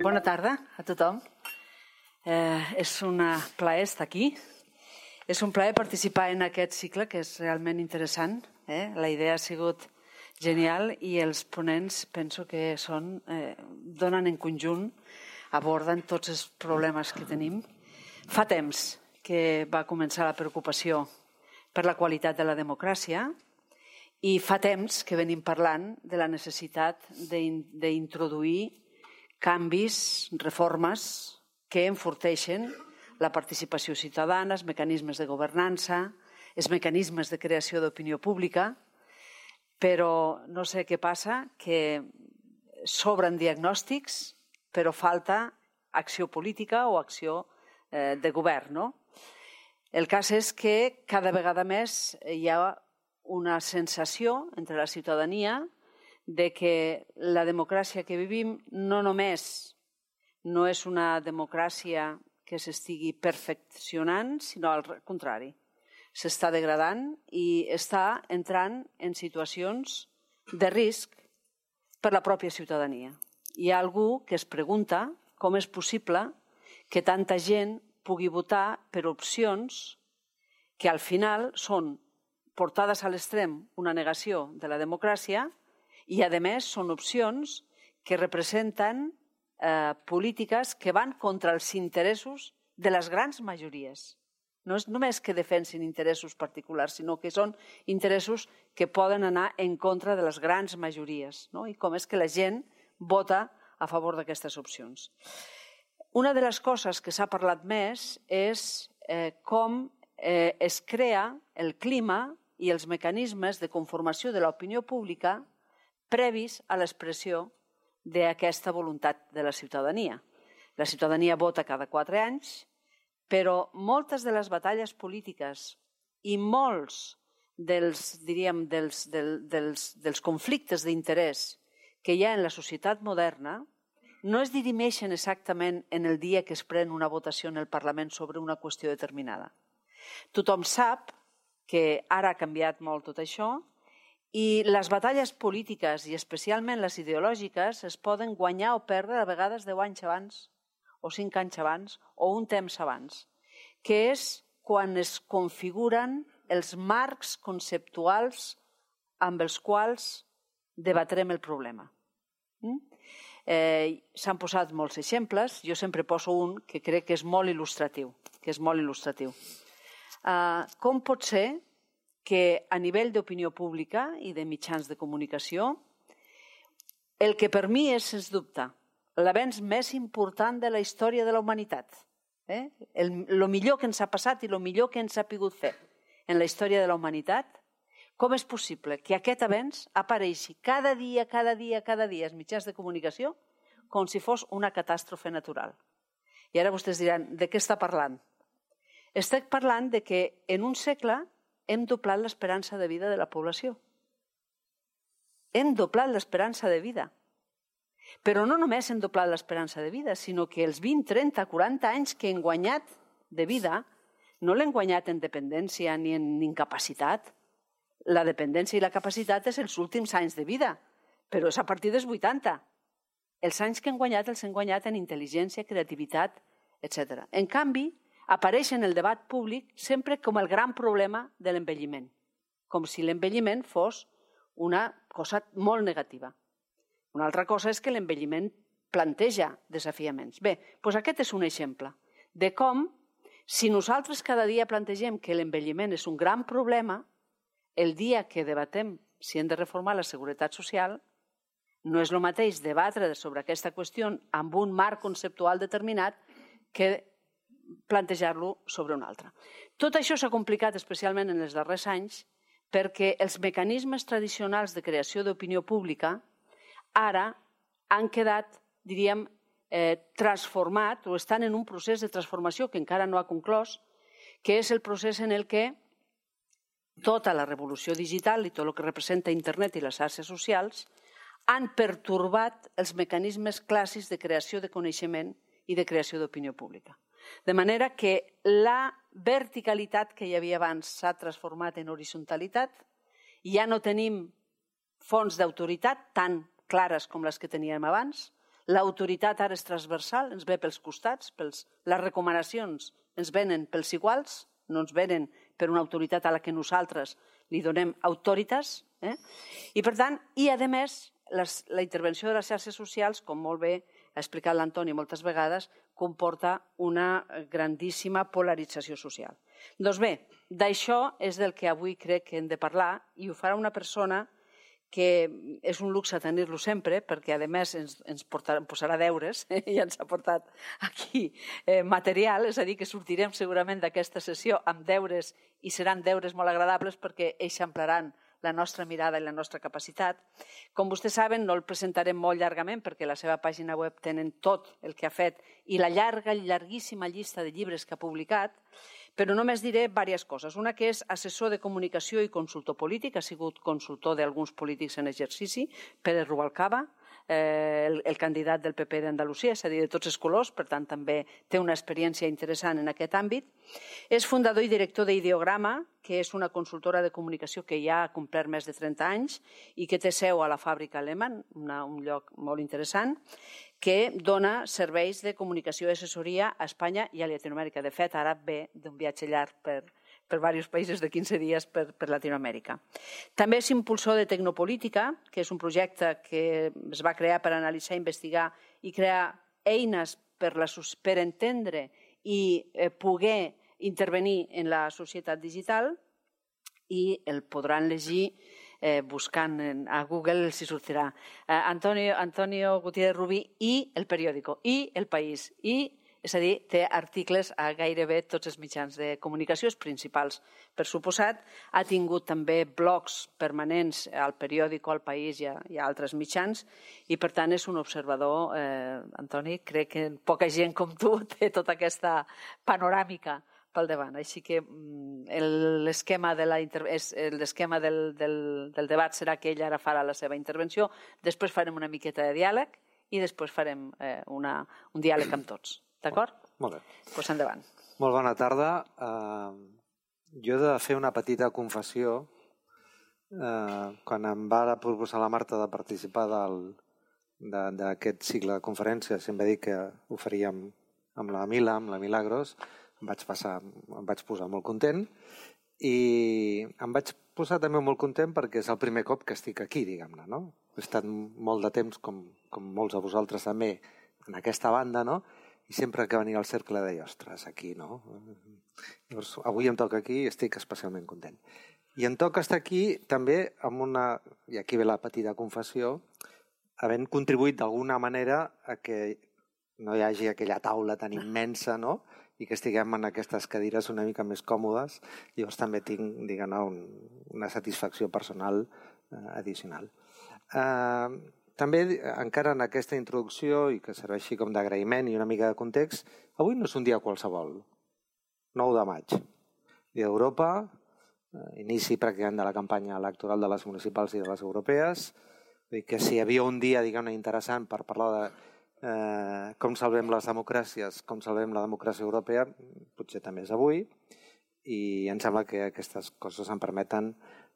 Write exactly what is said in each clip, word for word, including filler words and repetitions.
Bona tarda a tothom. Eh, és un plaer estar aquí. És un plaer participar en aquest cicle, que és realment interessant. Eh? La idea ha sigut genial i els ponents penso que són, eh, donen en conjunt, aborden tots els problemes que tenim. Fa temps que va començar la preocupació per la qualitat de la democràcia i fa temps que venim parlant de la necessitat d'introduir canvis, reformes que enforteixen la participació ciutadana, els mecanismes de governança, els mecanismes de creació d'opinió pública, però no sé què passa, que sobren diagnòstics, però falta acció política o acció eh, de govern, no? El cas és que cada vegada més hi ha una sensació entre la ciutadania de que la democràcia que vivim no només no és una democràcia que s'estigui perfeccionant, sinó al contrari. S'està degradant i està entrant en situacions de risc per la pròpia ciutadania. Hi ha algú que es pregunta com és possible que tanta gent pugui votar per opcions que al final són portades a l'extrem una negació de la democràcia i, a més, són opcions que representen eh, polítiques que van contra els interessos de les grans majories. No és només que defensin interessos particulars, sinó que són interessos que poden anar en contra de les grans majories, no? I com és que la gent vota a favor d'aquestes opcions. Una de les coses que s'ha parlat més és eh, com eh, es crea el clima i els mecanismes de conformació de l'opinió pública previs a l'expressió d'aquesta voluntat de la ciutadania. La ciutadania vota cada quatre anys, però moltes de les batalles polítiques i molts dels, diríem, dels, dels, dels, dels conflictes d'interès que hi ha en la societat moderna no es dirimeixen exactament en el dia que es pren una votació en el Parlament sobre una qüestió determinada. Tothom sap que ara ha canviat molt tot això i les batalles polítiques, i especialment les ideològiques, es poden guanyar o perdre a vegades deu anys abans, o cinc anys abans, o un temps abans, que és quan es configuren els marcs conceptuals amb els quals debatrem el problema. Mm? Eh, S'han posat molts exemples, jo sempre poso un que crec que és molt il·lustratiu. Que és molt il·lustratiu. Eh, com pot ser que a nivell d'opinió pública i de mitjans de comunicació, el que per mi és, sens dubte, l'avenç més important de la història de la humanitat, eh? el, el millor que ens ha passat i el millor que ens ha pogut fer en la història de la humanitat, com és possible que aquest avenç apareixi cada dia, cada dia, cada dia als mitjans de comunicació com si fos una catàstrofe natural? I ara vostès diran, de què està parlant? Estic parlant de que en un segle hem doblat l'esperança de vida de la població. Hem doblat l'esperança de vida. Però no només hem doblat l'esperança de vida, sinó que els vint, trenta, quaranta anys que hem guanyat de vida no l'hem guanyat en dependència ni en incapacitat. La dependència i la capacitat és els últims anys de vida, però és a partir dels vuitanta. Els anys que hem guanyat els hem guanyat en intel·ligència, creativitat, etcètera. En canvi, apareix en el debat públic sempre com el gran problema de l'envelliment, com si l'envelliment fos una cosa molt negativa. Una altra cosa és que l'envelliment planteja desafiaments. Bé, doncs aquest és un exemple de com, si nosaltres cada dia plantegem que l'envelliment és un gran problema, el dia que debatem si hem de reformar la seguretat social, no és el mateix debatre sobre aquesta qüestió amb un marc conceptual determinat que plantejar-lo sobre un altre. Tot això s'ha complicat especialment en els darrers anys perquè els mecanismes tradicionals de creació d'opinió pública ara han quedat, diríem, eh, transformat o estan en un procés de transformació que encara no ha conclòs, que és el procés en el que tota la revolució digital i tot el que representa internet i les xarxes socials han pertorbat els mecanismes clàssics de creació de coneixement i de creació d'opinió pública. De manera que la verticalitat que hi havia abans s'ha transformat en horizontalitat, ja no tenim fonts d'autoritat tan clares com les que teníem abans, L'autoritat ara és transversal, ens ve pels costats, pels, les recomanacions ens venen pels iguals, no ens venen per una autoritat a la que nosaltres li donem autoritas. Eh? I per tant, i a més, les, la intervenció de les xarxes socials, com molt bé ha explicat l'Antoni moltes vegades, comporta una grandíssima polarització social. Doncs bé, d'això és del que avui crec que hem de parlar i ho farà una persona que és un luxe tenir-lo sempre perquè a més ens, ens portarà, posarà deures eh? I ens ha portat aquí eh, material, és a dir, que sortirem segurament d'aquesta sessió amb deures i seran deures molt agradables perquè eixamplaran la nostra mirada i la nostra capacitat. Com vostès saben, no el presentarem molt llargament perquè a la seva pàgina web tenen tot el que ha fet i la llarga, llarguíssima llista de llibres que ha publicat, però només diré diverses coses. Una que és assessor de comunicació i consultor polític, ha sigut consultor d'alguns polítics en exercici, Pérez Rubalcaba, eh, el, el candidat del P P d'Andalusia, és a dir, de tots els colors, per tant també té una experiència interessant en aquest àmbit. És fundador i director d'Ideograma, que és una consultora de comunicació que ja ha complert més de trenta anys i que té seu a la fàbrica Lehmann, una, un lloc molt interessant, que dona serveis de comunicació i assessoria a Espanya i a Llatinoamèrica. De fet, ara ve d'un viatge llarg per, per diversos països de quinze dies per, per Latinoamèrica. També és impulsor de Tecnopolítica, que és un projecte que es va crear per analitzar, investigar i crear eines per, la, per entendre i eh, poder intervenir en la societat digital i el podran llegir eh, buscant a Google, els hi sortirà. Eh, Antonio, Antonio Gutiérrez Rubí i El Periódico, i El País, i és a dir, té articles a gairebé tots els mitjans de comunicació, els principals, per suposat. Ha tingut també blogs permanents al Periódico, al País i a, i a altres mitjans, i per tant és un observador, eh, Antoni, crec que poca gent com tu té tota aquesta panoràmica pel davant. Així que l'esquema de la l'esquema del, del, del debat serà que ell ara farà la seva intervenció, després farem una miqueta de diàleg i després farem eh, una, un diàleg amb tots. D'acord? Molt bé. Doncs pues endavant. Molt bona tarda. Uh, jo he de fer una petita confessió. Uh, quan em va proposar la Marta de participar d'aquest cicle de conferències, em va dir que ho faríem amb la Mila, amb la Milagros, em vaig, passar, em vaig posar molt content i em vaig posar també molt content perquè és el primer cop que estic aquí, diguem-ne, no? He estat molt de temps, com, com molts de vosaltres també, en aquesta banda, no? I sempre que venia al cercle deia, ostres, aquí, no? Llavors, avui em toca aquí i estic especialment content. I em toca estar aquí també amb una, i aquí ve la petita confessió, havent contribuït d'alguna manera a que no hi hagi aquella taula tan immensa, no?, i que estiguem en aquestes cadires una mica més còmodes. Llavors també tinc, diguem-ne, un, una satisfacció personal eh, addicional. Eh, també, encara en aquesta introducció, i que serveixi com d'agraïment i una mica de context, avui no és un dia qualsevol, nou de maig. Dia d'Europa, eh, inici pràcticament de la campanya electoral de les municipals i de les europees, vull dir que si hi havia un dia, diguem-ne, interessant per parlar de Eh, com salvem les democràcies, com salvem la democràcia europea, potser també és avui, i em sembla que aquestes coses em permeten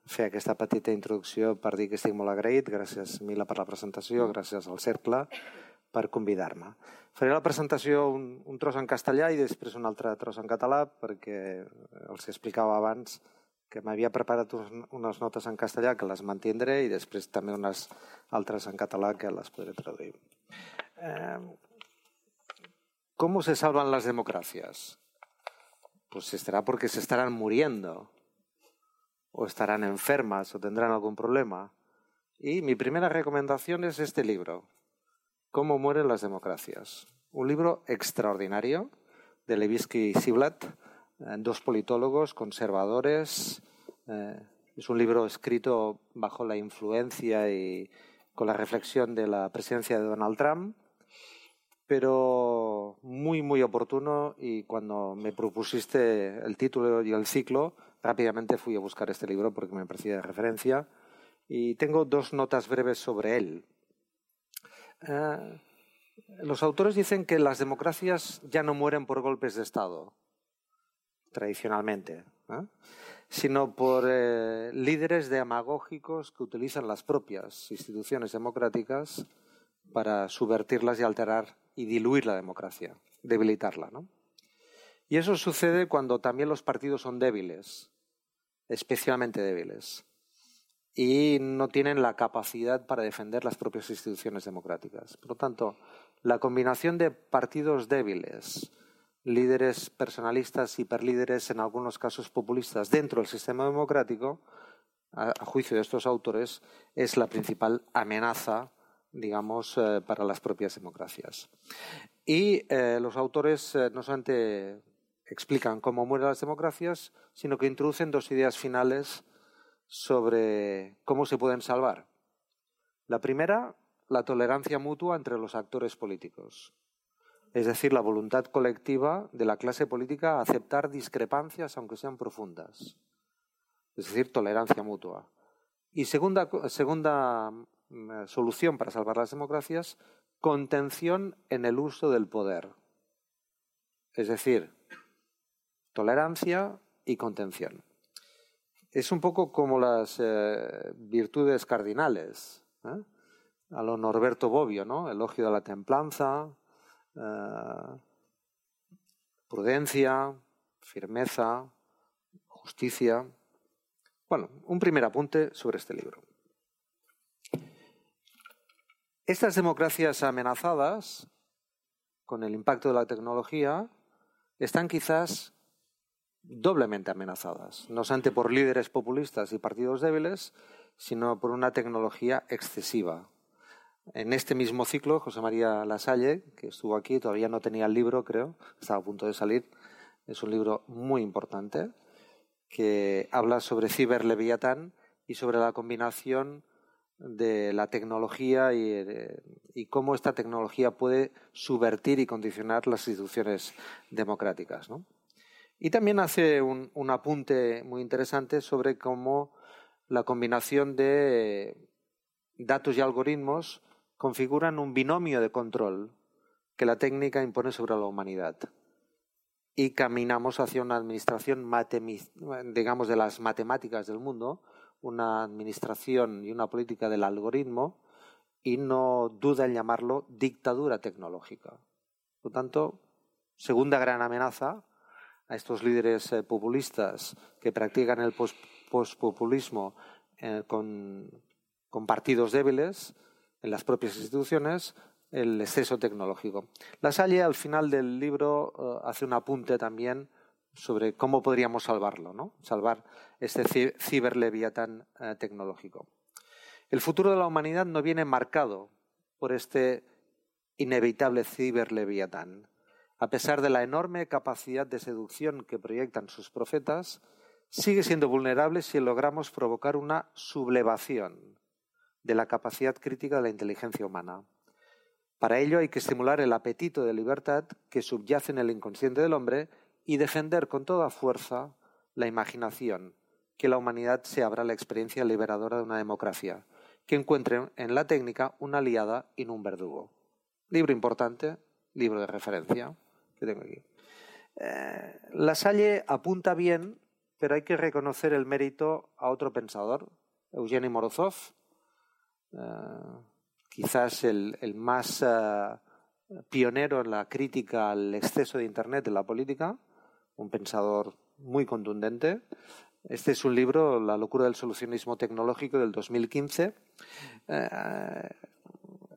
fer aquesta petita introducció per dir que estic molt agraït. Gràcies, Mila, per la presentació, gràcies al Cercle per convidar-me. Faré la presentació un, un tros en castellà i després un altre tros en català, perquè els explicava abans que m'havia preparat unes notes en castellà que les mantindré i després també unes altres en català que les podré traduir. Eh, ¿Cómo se salvan las democracias? Pues estará porque se estarán muriendo o estarán enfermas o tendrán algún problema. Y mi primera recomendación es este libro, ¿Cómo mueren las democracias? Un libro extraordinario de Levitsky y Ziblatt, eh, dos politólogos conservadores. Eh, es un libro escrito bajo la influencia y con la reflexión de la presidencia de Donald Trump, pero muy, muy oportuno, y cuando me propusiste el título y el ciclo, rápidamente fui a buscar este libro porque me parecía de referencia y tengo dos notas breves sobre él. Eh, los autores dicen que las democracias ya no mueren por golpes de Estado, tradicionalmente, ¿eh? sino por eh, líderes demagógicos que utilizan las propias instituciones democráticas para subvertirlas y alterar y diluir la democracia, debilitarla, ¿no? Y eso sucede cuando también los partidos son débiles, especialmente débiles, y no tienen la capacidad para defender las propias instituciones democráticas. Por lo tanto, la combinación de partidos débiles, líderes personalistas, hiperlíderes, en algunos casos populistas, dentro del sistema democrático, a, a juicio de estos autores, es la principal amenaza, digamos, eh, para las propias democracias. Y eh, los autores eh, no solamente explican cómo mueren las democracias, sino que introducen dos ideas finales sobre cómo se pueden salvar. La primera, la tolerancia mutua entre los actores políticos. Es decir, la voluntad colectiva de la clase política a aceptar discrepancias, aunque sean profundas. Es decir, tolerancia mutua. Y segunda, segunda eh, solución para salvar las democracias, contención en el uso del poder. Es decir, tolerancia y contención. Es un poco como las eh, virtudes cardinales, ¿eh? A lo Norberto Bobbio, ¿no? Elogio de la templanza, eh, prudencia, firmeza, justicia. Bueno, un primer apunte sobre este libro. Estas democracias amenazadas, con el impacto de la tecnología, están quizás doblemente amenazadas, no solamente por líderes populistas y partidos débiles, sino por una tecnología excesiva. En este mismo ciclo, José María Lasalle, que estuvo aquí, todavía no tenía el libro, creo, estaba a punto de salir, es un libro muy importante, que habla sobre ciberleviatán y sobre la combinación de la tecnología y, y cómo esta tecnología puede subvertir y condicionar las instituciones democráticas, ¿no? Y también hace un, un apunte muy interesante sobre cómo la combinación de datos y algoritmos configuran un binomio de control que la técnica impone sobre la humanidad. Y caminamos hacia una administración, digamos, de las matemáticas del mundo, una administración y una política del algoritmo, y no duda en llamarlo dictadura tecnológica. Por lo tanto, segunda gran amenaza a estos líderes eh, populistas que practican el pospopulismo eh, con, con partidos débiles en las propias instituciones, el exceso tecnológico. Lasalle, al final del libro, eh, hace un apunte también sobre cómo podríamos salvarlo, ¿no? Salvar este ciberleviatán eh, tecnológico. El futuro de la humanidad no viene marcado por este inevitable ciberleviatán. A pesar de la enorme capacidad de seducción que proyectan sus profetas, sigue siendo vulnerable si logramos provocar una sublevación de la capacidad crítica de la inteligencia humana. Para ello hay que estimular el apetito de libertad que subyace en el inconsciente del hombre y defender con toda fuerza la imaginación, que la humanidad se abra a la experiencia liberadora de una democracia, que encuentre en la técnica una aliada y no un verdugo. Libro importante, libro de referencia que tengo aquí. Eh, Lasalle apunta bien, pero hay que reconocer el mérito a otro pensador, Eugeni Morozov, eh, quizás el, el más uh, pionero en la crítica al exceso de Internet en la política, un pensador muy contundente. Este es un libro, La locura del solucionismo tecnológico, del dos mil quince. Eh,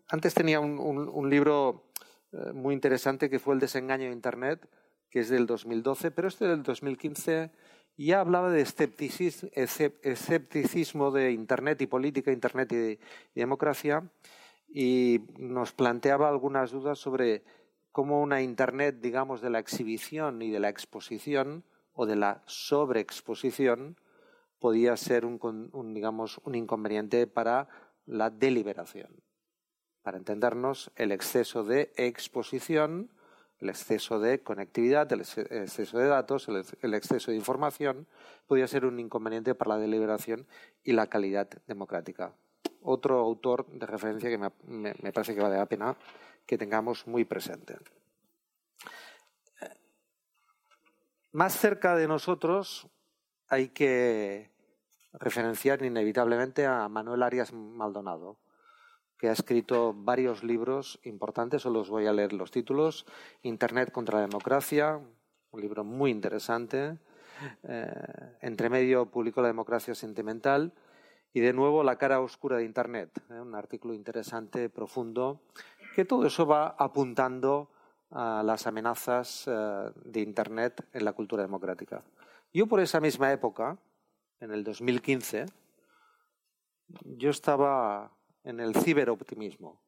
antes tenía un, un, un libro eh, muy interesante que fue El desengaño de Internet, que es del dos mil doce, pero este del dos mil quince ya hablaba de escepticismo, escepticismo de Internet y política, Internet y, y democracia, y nos planteaba algunas dudas sobre cómo una Internet, digamos, de la exhibición y de la exposición o de la sobreexposición podía ser un, un, digamos, un inconveniente para la deliberación. Para entendernos, el exceso de exposición, el exceso de conectividad, el exceso de datos, el, el exceso de información podía ser un inconveniente para la deliberación y la calidad democrática. Otro autor de referencia que me, me, me parece que vale la pena que tengamos muy presente. Más cerca de nosotros hay que referenciar inevitablemente a Manuel Arias Maldonado, que ha escrito varios libros importantes, os los voy a leer los títulos. Internet contra la democracia, un libro muy interesante. Eh, entre medio publicó La democracia sentimental y de nuevo La cara oscura de Internet, eh, un artículo interesante, profundo, que todo eso va apuntando a las amenazas eh, de Internet en la cultura democrática. Yo por esa misma época, en el dos mil quince, yo estaba en el ciberoptimismo.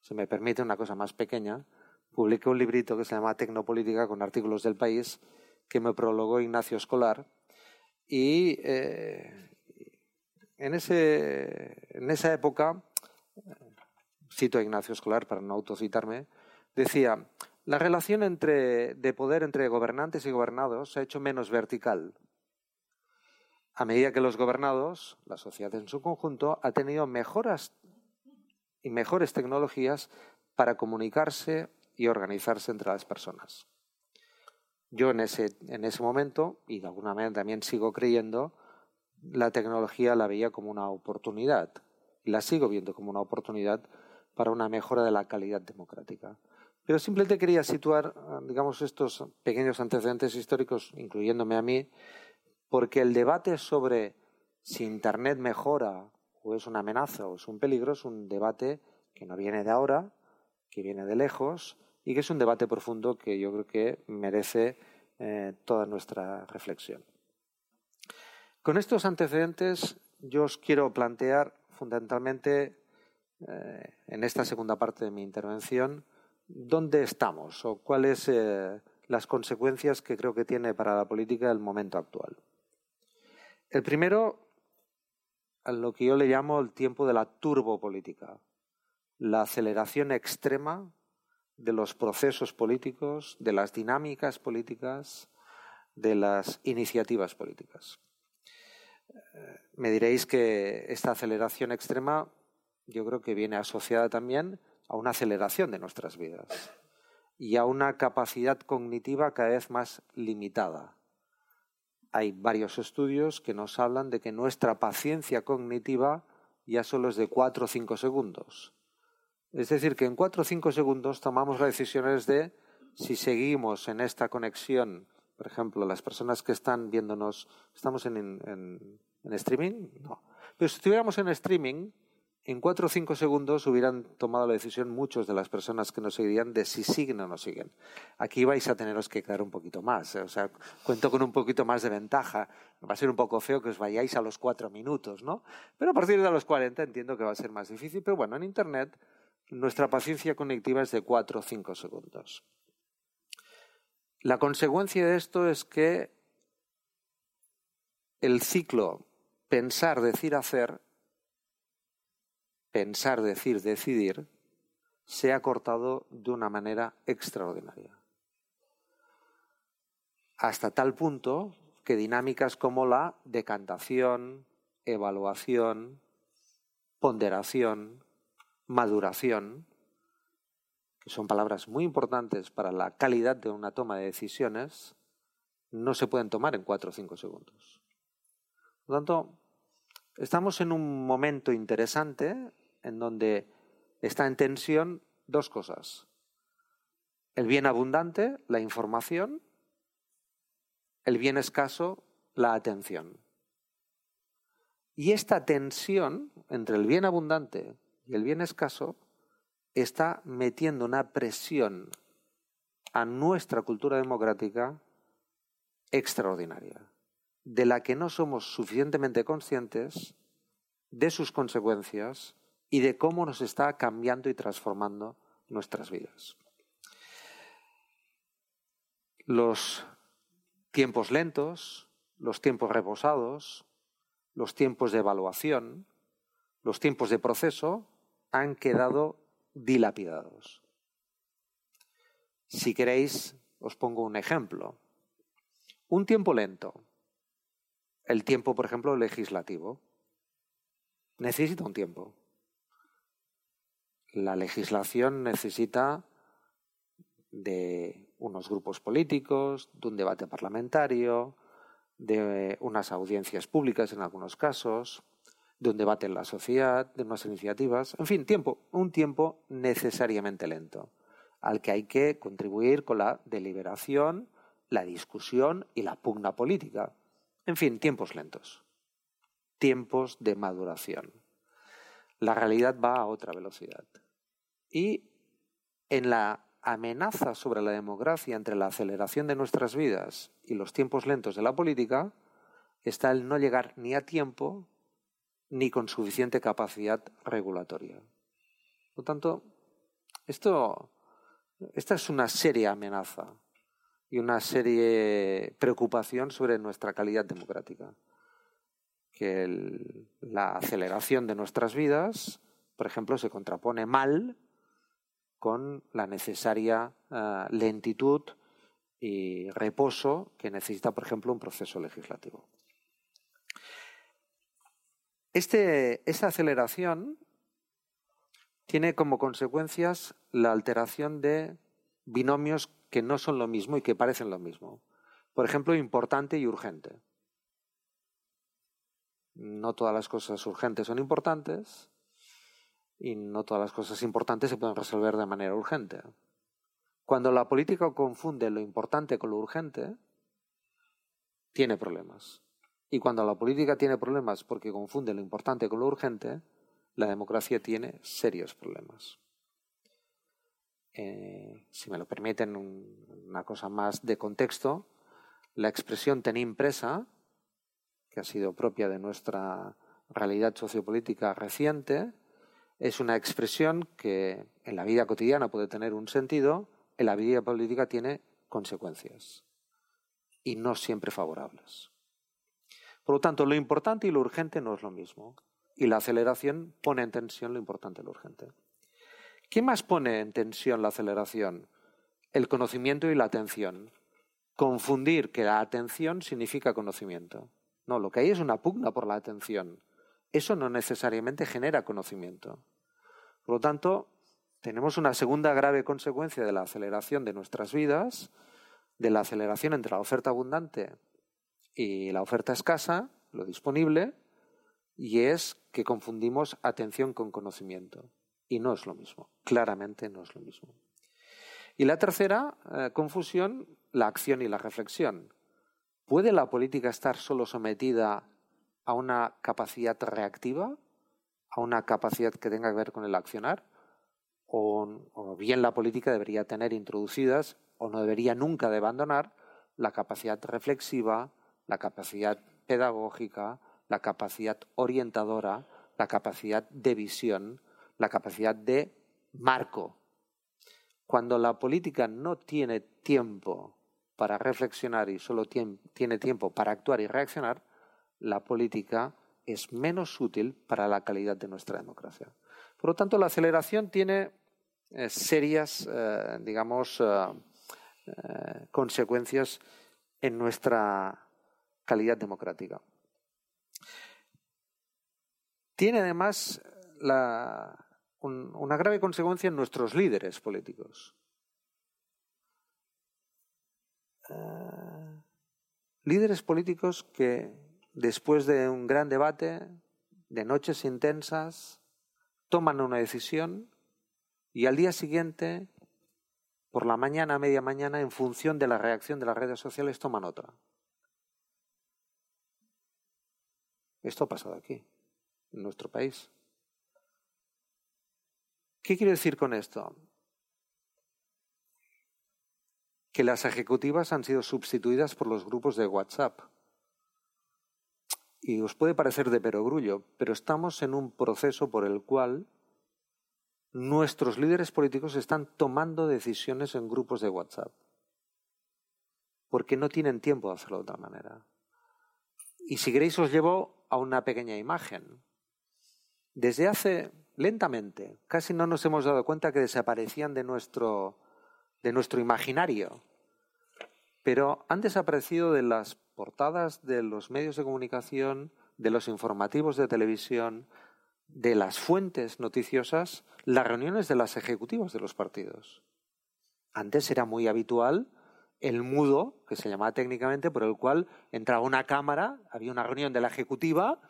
Si me permite una cosa más pequeña, publiqué un librito que se llama Tecnopolítica con artículos del País, que me prologó Ignacio Escolar, y eh, en, ese, en esa época, cito a Ignacio Escolar para no autocitarme, decía: la relación entre, de poder entre gobernantes y gobernados se ha hecho menos vertical. A medida que los gobernados, la sociedad en su conjunto, ha tenido mejoras y mejores tecnologías para comunicarse y organizarse entre las personas. Yo en ese, en ese momento, y de alguna manera también sigo creyendo, la tecnología la veía como una oportunidad, y la sigo viendo como una oportunidad para una mejora de la calidad democrática. Pero simplemente quería situar, digamos, estos pequeños antecedentes históricos, incluyéndome a mí, porque el debate sobre si Internet mejora o es una amenaza o es un peligro es un debate que no viene de ahora, que viene de lejos y que es un debate profundo que yo creo que merece eh, toda nuestra reflexión. Con estos antecedentes yo os quiero plantear fundamentalmente eh, en esta segunda parte de mi intervención dónde estamos o cuáles son eh, las consecuencias que creo que tiene para la política el momento actual. El primero, a lo que yo le llamo el tiempo de la turbopolítica, la aceleración extrema de los procesos políticos, de las dinámicas políticas, de las iniciativas políticas. Me diréis que esta aceleración extrema yo creo que viene asociada también a una aceleración de nuestras vidas y a una capacidad cognitiva cada vez más limitada. Hay varios estudios que nos hablan de que nuestra paciencia cognitiva ya solo es de cuatro o cinco segundos. Es decir, que en cuatro o cinco segundos tomamos las decisiones de si seguimos en esta conexión. Por ejemplo, las personas que están viéndonos, ¿estamos en, en, en streaming? No. Pero si estuviéramos en streaming, en cuatro o cinco segundos hubieran tomado la decisión muchos de las personas que nos seguirían de si siguen o no siguen. Aquí vais a teneros que quedar un poquito más. ¿eh? O sea, cuento con un poquito más de ventaja. Va a ser un poco feo que os vayáis a los cuatro minutos, ¿no? Pero a partir de los cuarenta entiendo que va a ser más difícil. Pero bueno, en Internet nuestra paciencia cognitiva es de cuatro o cinco segundos. La consecuencia de esto es que el ciclo pensar, decir, hacer, pensar, decir, decidir, se ha cortado de una manera extraordinaria. Hasta tal punto que dinámicas como la decantación, evaluación, ponderación, maduración, que son palabras muy importantes para la calidad de una toma de decisiones, no se pueden tomar en cuatro o cinco segundos. Por lo tanto, estamos en un momento interesante en donde está en tensión dos cosas. El bien abundante, la información, el bien escaso, la atención. Y esta tensión entre el bien abundante y el bien escaso está metiendo una presión a nuestra cultura democrática extraordinaria, de la que no somos suficientemente conscientes de sus consecuencias y de cómo nos está cambiando y transformando nuestras vidas. Los tiempos lentos, los tiempos reposados, los tiempos de evaluación, los tiempos de proceso han quedado dilapidados. Si queréis, os pongo un ejemplo. Un tiempo lento, el tiempo, por ejemplo, legislativo, necesita un tiempo. La legislación necesita de unos grupos políticos, de un debate parlamentario, de unas audiencias públicas en algunos casos, de un debate en la sociedad, de unas iniciativas. En fin, tiempo, un tiempo necesariamente lento, al que hay que contribuir con la deliberación, la discusión y la pugna política. En fin, tiempos lentos, tiempos de maduración. La realidad va a otra velocidad. Y en la amenaza sobre la democracia entre la aceleración de nuestras vidas y los tiempos lentos de la política está el no llegar ni a tiempo ni con suficiente capacidad regulatoria. Por lo tanto, esto, esta es una seria amenaza y una seria preocupación sobre nuestra calidad democrática. Que el, la aceleración de nuestras vidas, por ejemplo, se contrapone mal con la necesaria uh, lentitud y reposo que necesita, por ejemplo, un proceso legislativo. Este, esta aceleración tiene como consecuencias la alteración de binomios que no son lo mismo y que parecen lo mismo. Por ejemplo, importante y urgente. No todas las cosas urgentes son importantes y no todas las cosas importantes se pueden resolver de manera urgente. Cuando la política confunde lo importante con lo urgente, tiene problemas. Y cuando la política tiene problemas porque confunde lo importante con lo urgente, la democracia tiene serios problemas. Eh, si me lo permiten, un, una cosa más de contexto, la expresión tenim presa, que ha sido propia de nuestra realidad sociopolítica reciente, es una expresión que en la vida cotidiana puede tener un sentido, en la vida política tiene consecuencias y no siempre favorables. Por lo tanto, lo importante y lo urgente no es lo mismo y la aceleración pone en tensión lo importante y lo urgente. ¿Qué más pone en tensión la aceleración? El conocimiento y la atención. Confundir que la atención significa conocimiento. No, lo que hay es una pugna por la atención. Eso no necesariamente genera conocimiento. Por lo tanto, tenemos una segunda grave consecuencia de la aceleración de nuestras vidas, de la aceleración entre la oferta abundante y la oferta escasa, lo disponible, y es que confundimos atención con conocimiento. Y no es lo mismo, claramente no es lo mismo. Y la tercera eh, confusión, la acción y la reflexión. ¿Puede la política estar solo sometida a una capacidad reactiva, a una capacidad que tenga que ver con el accionar? O, o bien la política debería tener introducidas, o no debería nunca de abandonar, la capacidad reflexiva, la capacidad pedagógica, la capacidad orientadora, la capacidad de visión, la capacidad de marco. Cuando la política no tiene tiempo para reflexionar y solo tiene tiempo para actuar y reaccionar, la política es menos útil para la calidad de nuestra democracia. Por lo tanto, la aceleración tiene eh, serias, eh, digamos, eh, eh, consecuencias en nuestra calidad democrática. Tiene además la, un, una grave consecuencia en nuestros líderes políticos. Uh, líderes políticos que después de un gran debate, de noches intensas, toman una decisión y al día siguiente, por la mañana, a media mañana, en función de la reacción de las redes sociales, toman otra. Esto ha pasado aquí, en nuestro país. ¿Qué quiero decir con esto? Que las ejecutivas han sido sustituidas por los grupos de WhatsApp. Y os puede parecer de perogrullo, pero estamos en un proceso por el cual nuestros líderes políticos están tomando decisiones en grupos de WhatsApp. Porque no tienen tiempo de hacerlo de otra manera. Y si queréis os llevo a una pequeña imagen. Desde hace, lentamente, casi no nos hemos dado cuenta que desaparecían de nuestro, de nuestro imaginario. Pero han desaparecido de las portadas de los medios de comunicación, de los informativos de televisión, de las fuentes noticiosas, las reuniones de las ejecutivas de los partidos. Antes era muy habitual el mudo, que se llamaba técnicamente, por el cual entraba una cámara, había una reunión de la ejecutiva,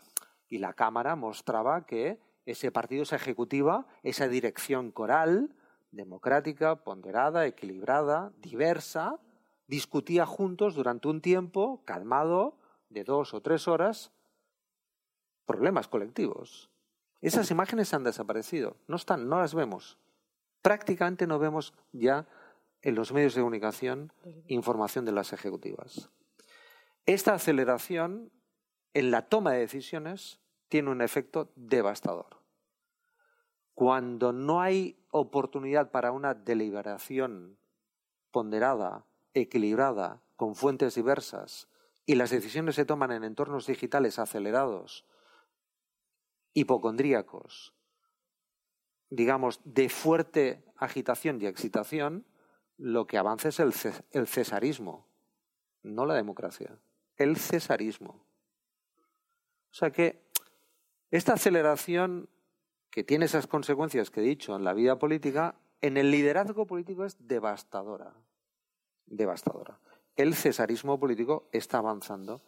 y la Cámara mostraba que ese partido, esa ejecutiva, esa dirección coral, democrática, ponderada, equilibrada, diversa, discutía juntos durante un tiempo calmado de dos o tres horas problemas colectivos. Esas imágenes han desaparecido, no están, no las vemos. Prácticamente no vemos ya en los medios de comunicación información de las ejecutivas. Esta aceleración en la toma de decisiones tiene un efecto devastador. Cuando no hay oportunidad para una deliberación ponderada, equilibrada, con fuentes diversas, y las decisiones se toman en entornos digitales acelerados, hipocondríacos, digamos, de fuerte agitación y excitación, lo que avanza es el, el cesarismo, no la democracia, el cesarismo. O sea que esta aceleración que tiene esas consecuencias que he dicho en la vida política, en el liderazgo político es devastadora, devastadora. El cesarismo político está avanzando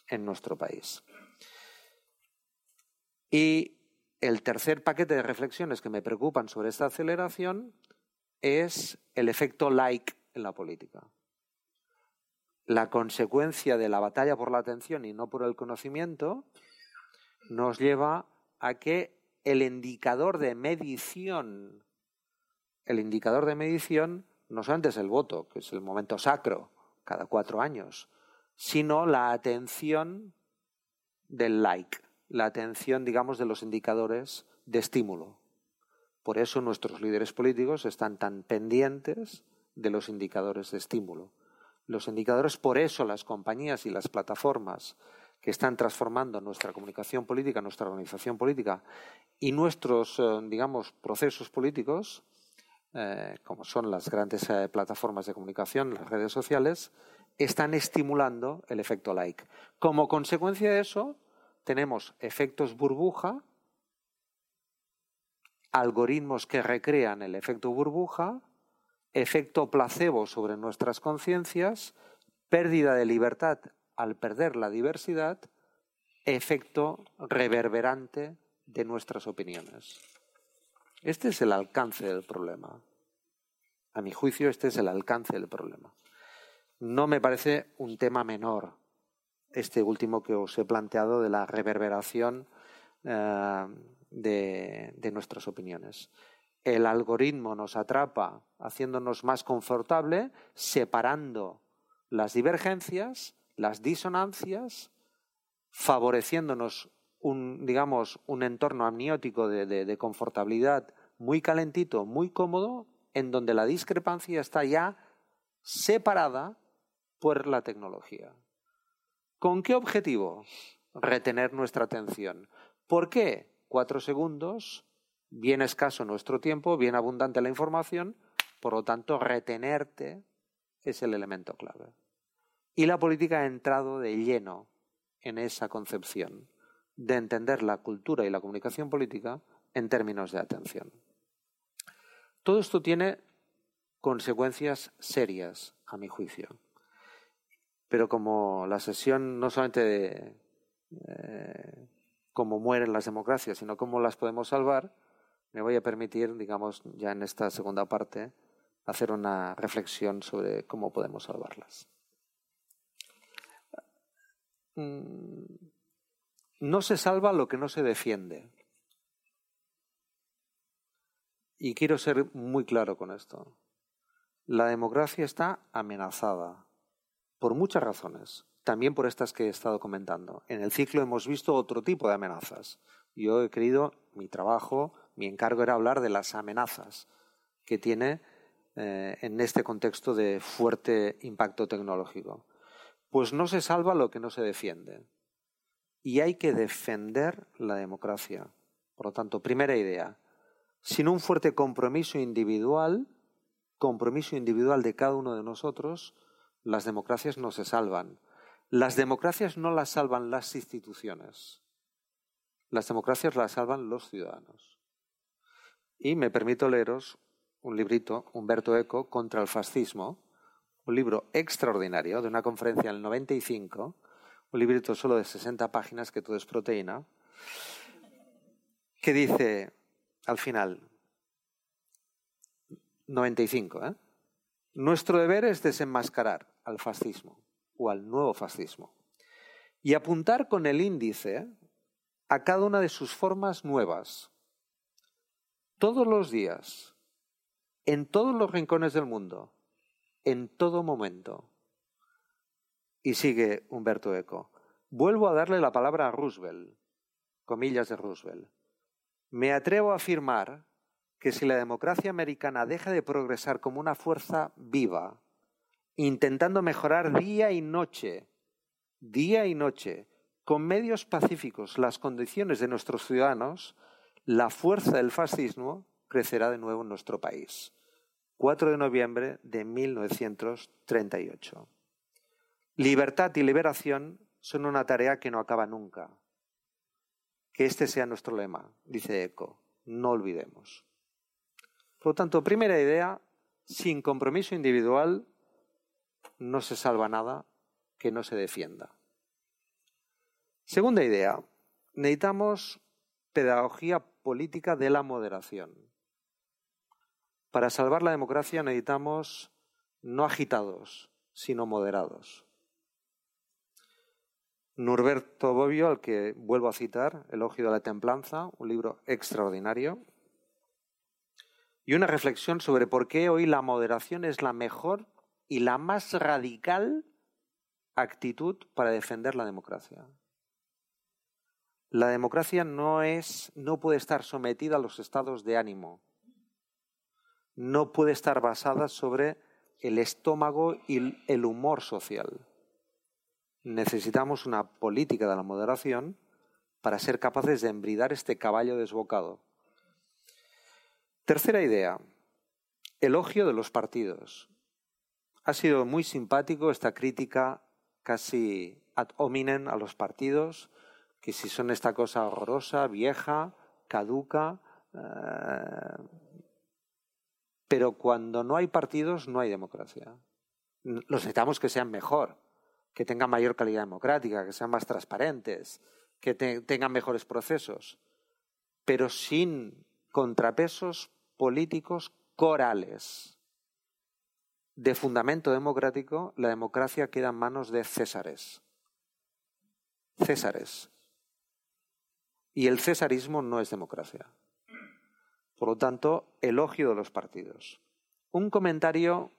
en nuestro país. Y el tercer paquete de reflexiones que me preocupan sobre esta aceleración es el efecto like en la política. La consecuencia de la batalla por la atención y no por el conocimiento nos lleva a que el indicador de medición, el indicador de medición no solamente es el voto, que es el momento sacro, cada cuatro años, sino la atención del like, la atención, digamos, de los indicadores de estímulo. Por eso nuestros líderes políticos están tan pendientes de los indicadores de estímulo. Los indicadores, por eso las compañías y las plataformas que están transformando nuestra comunicación política, nuestra organización política y nuestros, eh, digamos, procesos políticos, eh, como son las grandes eh, plataformas de comunicación, las redes sociales, están estimulando el efecto like. Como consecuencia de eso, tenemos efectos burbuja, algoritmos que recrean el efecto burbuja, efecto placebo sobre nuestras conciencias, pérdida de libertad al perder la diversidad, efecto reverberante de nuestras opiniones. Este es el alcance del problema. A mi juicio, este es el alcance del problema. No me parece un tema menor este último que os he planteado de la reverberación eh, de, de nuestras opiniones. El algoritmo nos atrapa haciéndonos más confortable, separando las divergencias, las disonancias, favoreciéndonos un, digamos, un entorno amniótico de, de, de confortabilidad muy calentito, muy cómodo, en donde la discrepancia está ya separada por la tecnología. ¿Con qué objetivo? Retener nuestra atención. ¿Por qué? Cuatro segundos, bien escaso nuestro tiempo, bien abundante la información, por lo tanto, retenerte es el elemento clave. Y la política ha entrado de lleno en esa concepción de entender la cultura y la comunicación política en términos de atención. Todo esto tiene consecuencias serias, a mi juicio. Pero como la sesión no solamente de eh, cómo mueren las democracias, sino cómo las podemos salvar, me voy a permitir, digamos, ya en esta segunda parte, hacer una reflexión sobre cómo podemos salvarlas. No se salva lo que no se defiende. Y quiero ser muy claro con esto. La democracia está amenazada por muchas razones, también por estas que he estado comentando. En el ciclo hemos visto otro tipo de amenazas. Yo he querido, mi trabajo, mi encargo era hablar de las amenazas que tiene eh, en este contexto de fuerte impacto tecnológico. Pues no se salva lo que no se defiende. Y hay que defender la democracia. Por lo tanto, primera idea, sin un fuerte compromiso individual, compromiso individual de cada uno de nosotros, las democracias no se salvan. Las democracias no las salvan las instituciones. Las democracias las salvan los ciudadanos. Y me permito leeros un librito, Umberto Eco, Contra el fascismo, un libro extraordinario de una conferencia en el noventa y cinco, un librito solo de sesenta páginas que todo es proteína, que dice al final, noventa y cinco, ¿eh? Nuestro deber es desenmascarar al fascismo o al nuevo fascismo y apuntar con el índice a cada una de sus formas nuevas. Todos los días, en todos los rincones del mundo, en todo momento. Y sigue Humberto Eco. Vuelvo a darle la palabra a Roosevelt, comillas de Roosevelt. Me atrevo a afirmar que si la democracia americana deja de progresar como una fuerza viva, intentando mejorar día y noche, día y noche, con medios pacíficos las condiciones de nuestros ciudadanos, la fuerza del fascismo crecerá de nuevo en nuestro país. cuatro de noviembre de mil novecientos treinta y ocho. Libertad y liberación son una tarea que no acaba nunca. Que este sea nuestro lema, dice Eco, no olvidemos. Por lo tanto, primera idea, sin compromiso individual no se salva nada que no se defienda. Segunda idea, necesitamos pedagogía política de la moderación. Para salvar la democracia necesitamos no agitados, sino moderados. Norberto Bobbio, al que vuelvo a citar, Elogio de la Templanza, un libro extraordinario, y una reflexión sobre por qué hoy la moderación es la mejor y la más radical actitud para defender la democracia. La democracia no es, no puede estar sometida a los estados de ánimo. No puede estar basada sobre el estómago y el humor social. Necesitamos una política de la moderación para ser capaces de embridar este caballo desbocado. Tercera idea, elogio de los partidos. Ha sido muy simpático esta crítica casi ad hominem a los partidos, que si son esta cosa horrorosa, vieja, caduca, eh, pero cuando no hay partidos no hay democracia. Los necesitamos que sean mejor, que tengan mayor calidad democrática, que sean más transparentes, que te, tengan mejores procesos, pero sin contrapesos políticos corales. De fundamento democrático, la democracia queda en manos de césares. Césares. Y el cesarismo no es democracia. Por lo tanto, elogio de los partidos. Un comentario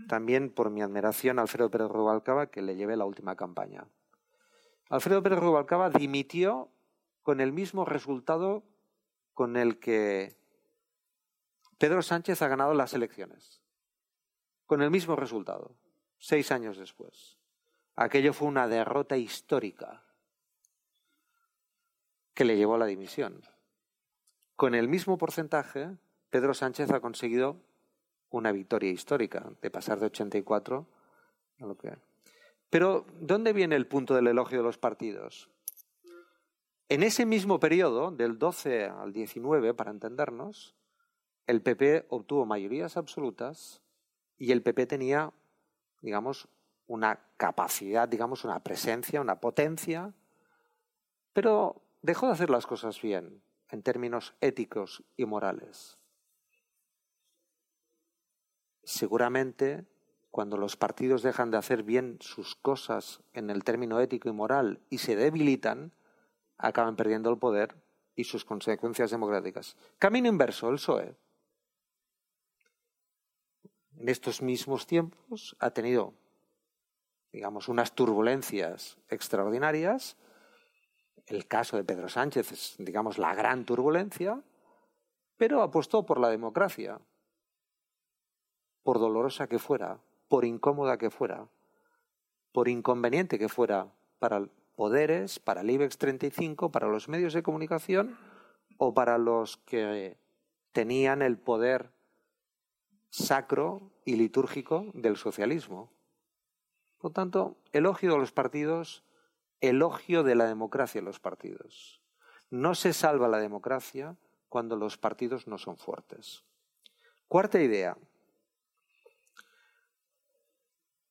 también por mi admiración a Alfredo Pérez Rubalcaba, que le llevé la última campaña. Alfredo Pérez Rubalcaba dimitió con el mismo resultado con el que Pedro Sánchez ha ganado las elecciones. Con el mismo resultado, seis años después. Aquello fue una derrota histórica que le llevó a la dimisión. Con el mismo porcentaje, Pedro Sánchez ha conseguido una victoria histórica, de pasar de ochenta y cuatro a lo que... Pero, ¿dónde viene el punto del elogio de los partidos? En ese mismo periodo, del doce al diecinueve, para entendernos, el P P obtuvo mayorías absolutas y el P P tenía, digamos, una capacidad, digamos, una presencia, una potencia, pero dejó de hacer las cosas bien, en términos éticos y morales. Seguramente, cuando los partidos dejan de hacer bien sus cosas en el término ético y moral y se debilitan, acaban perdiendo el poder y sus consecuencias democráticas. Camino inverso, el P S O E. En estos mismos tiempos ha tenido, digamos, unas turbulencias extraordinarias. El caso de Pedro Sánchez es, digamos, la gran turbulencia, pero apostó por la democracia, por dolorosa que fuera, por incómoda que fuera, por inconveniente que fuera para poderes, para el IBEX treinta y cinco, para los medios de comunicación o para los que tenían el poder sacro y litúrgico del socialismo. Por tanto, elogio de los partidos, elogio de la democracia en los partidos. No se salva la democracia cuando los partidos no son fuertes. Cuarta idea.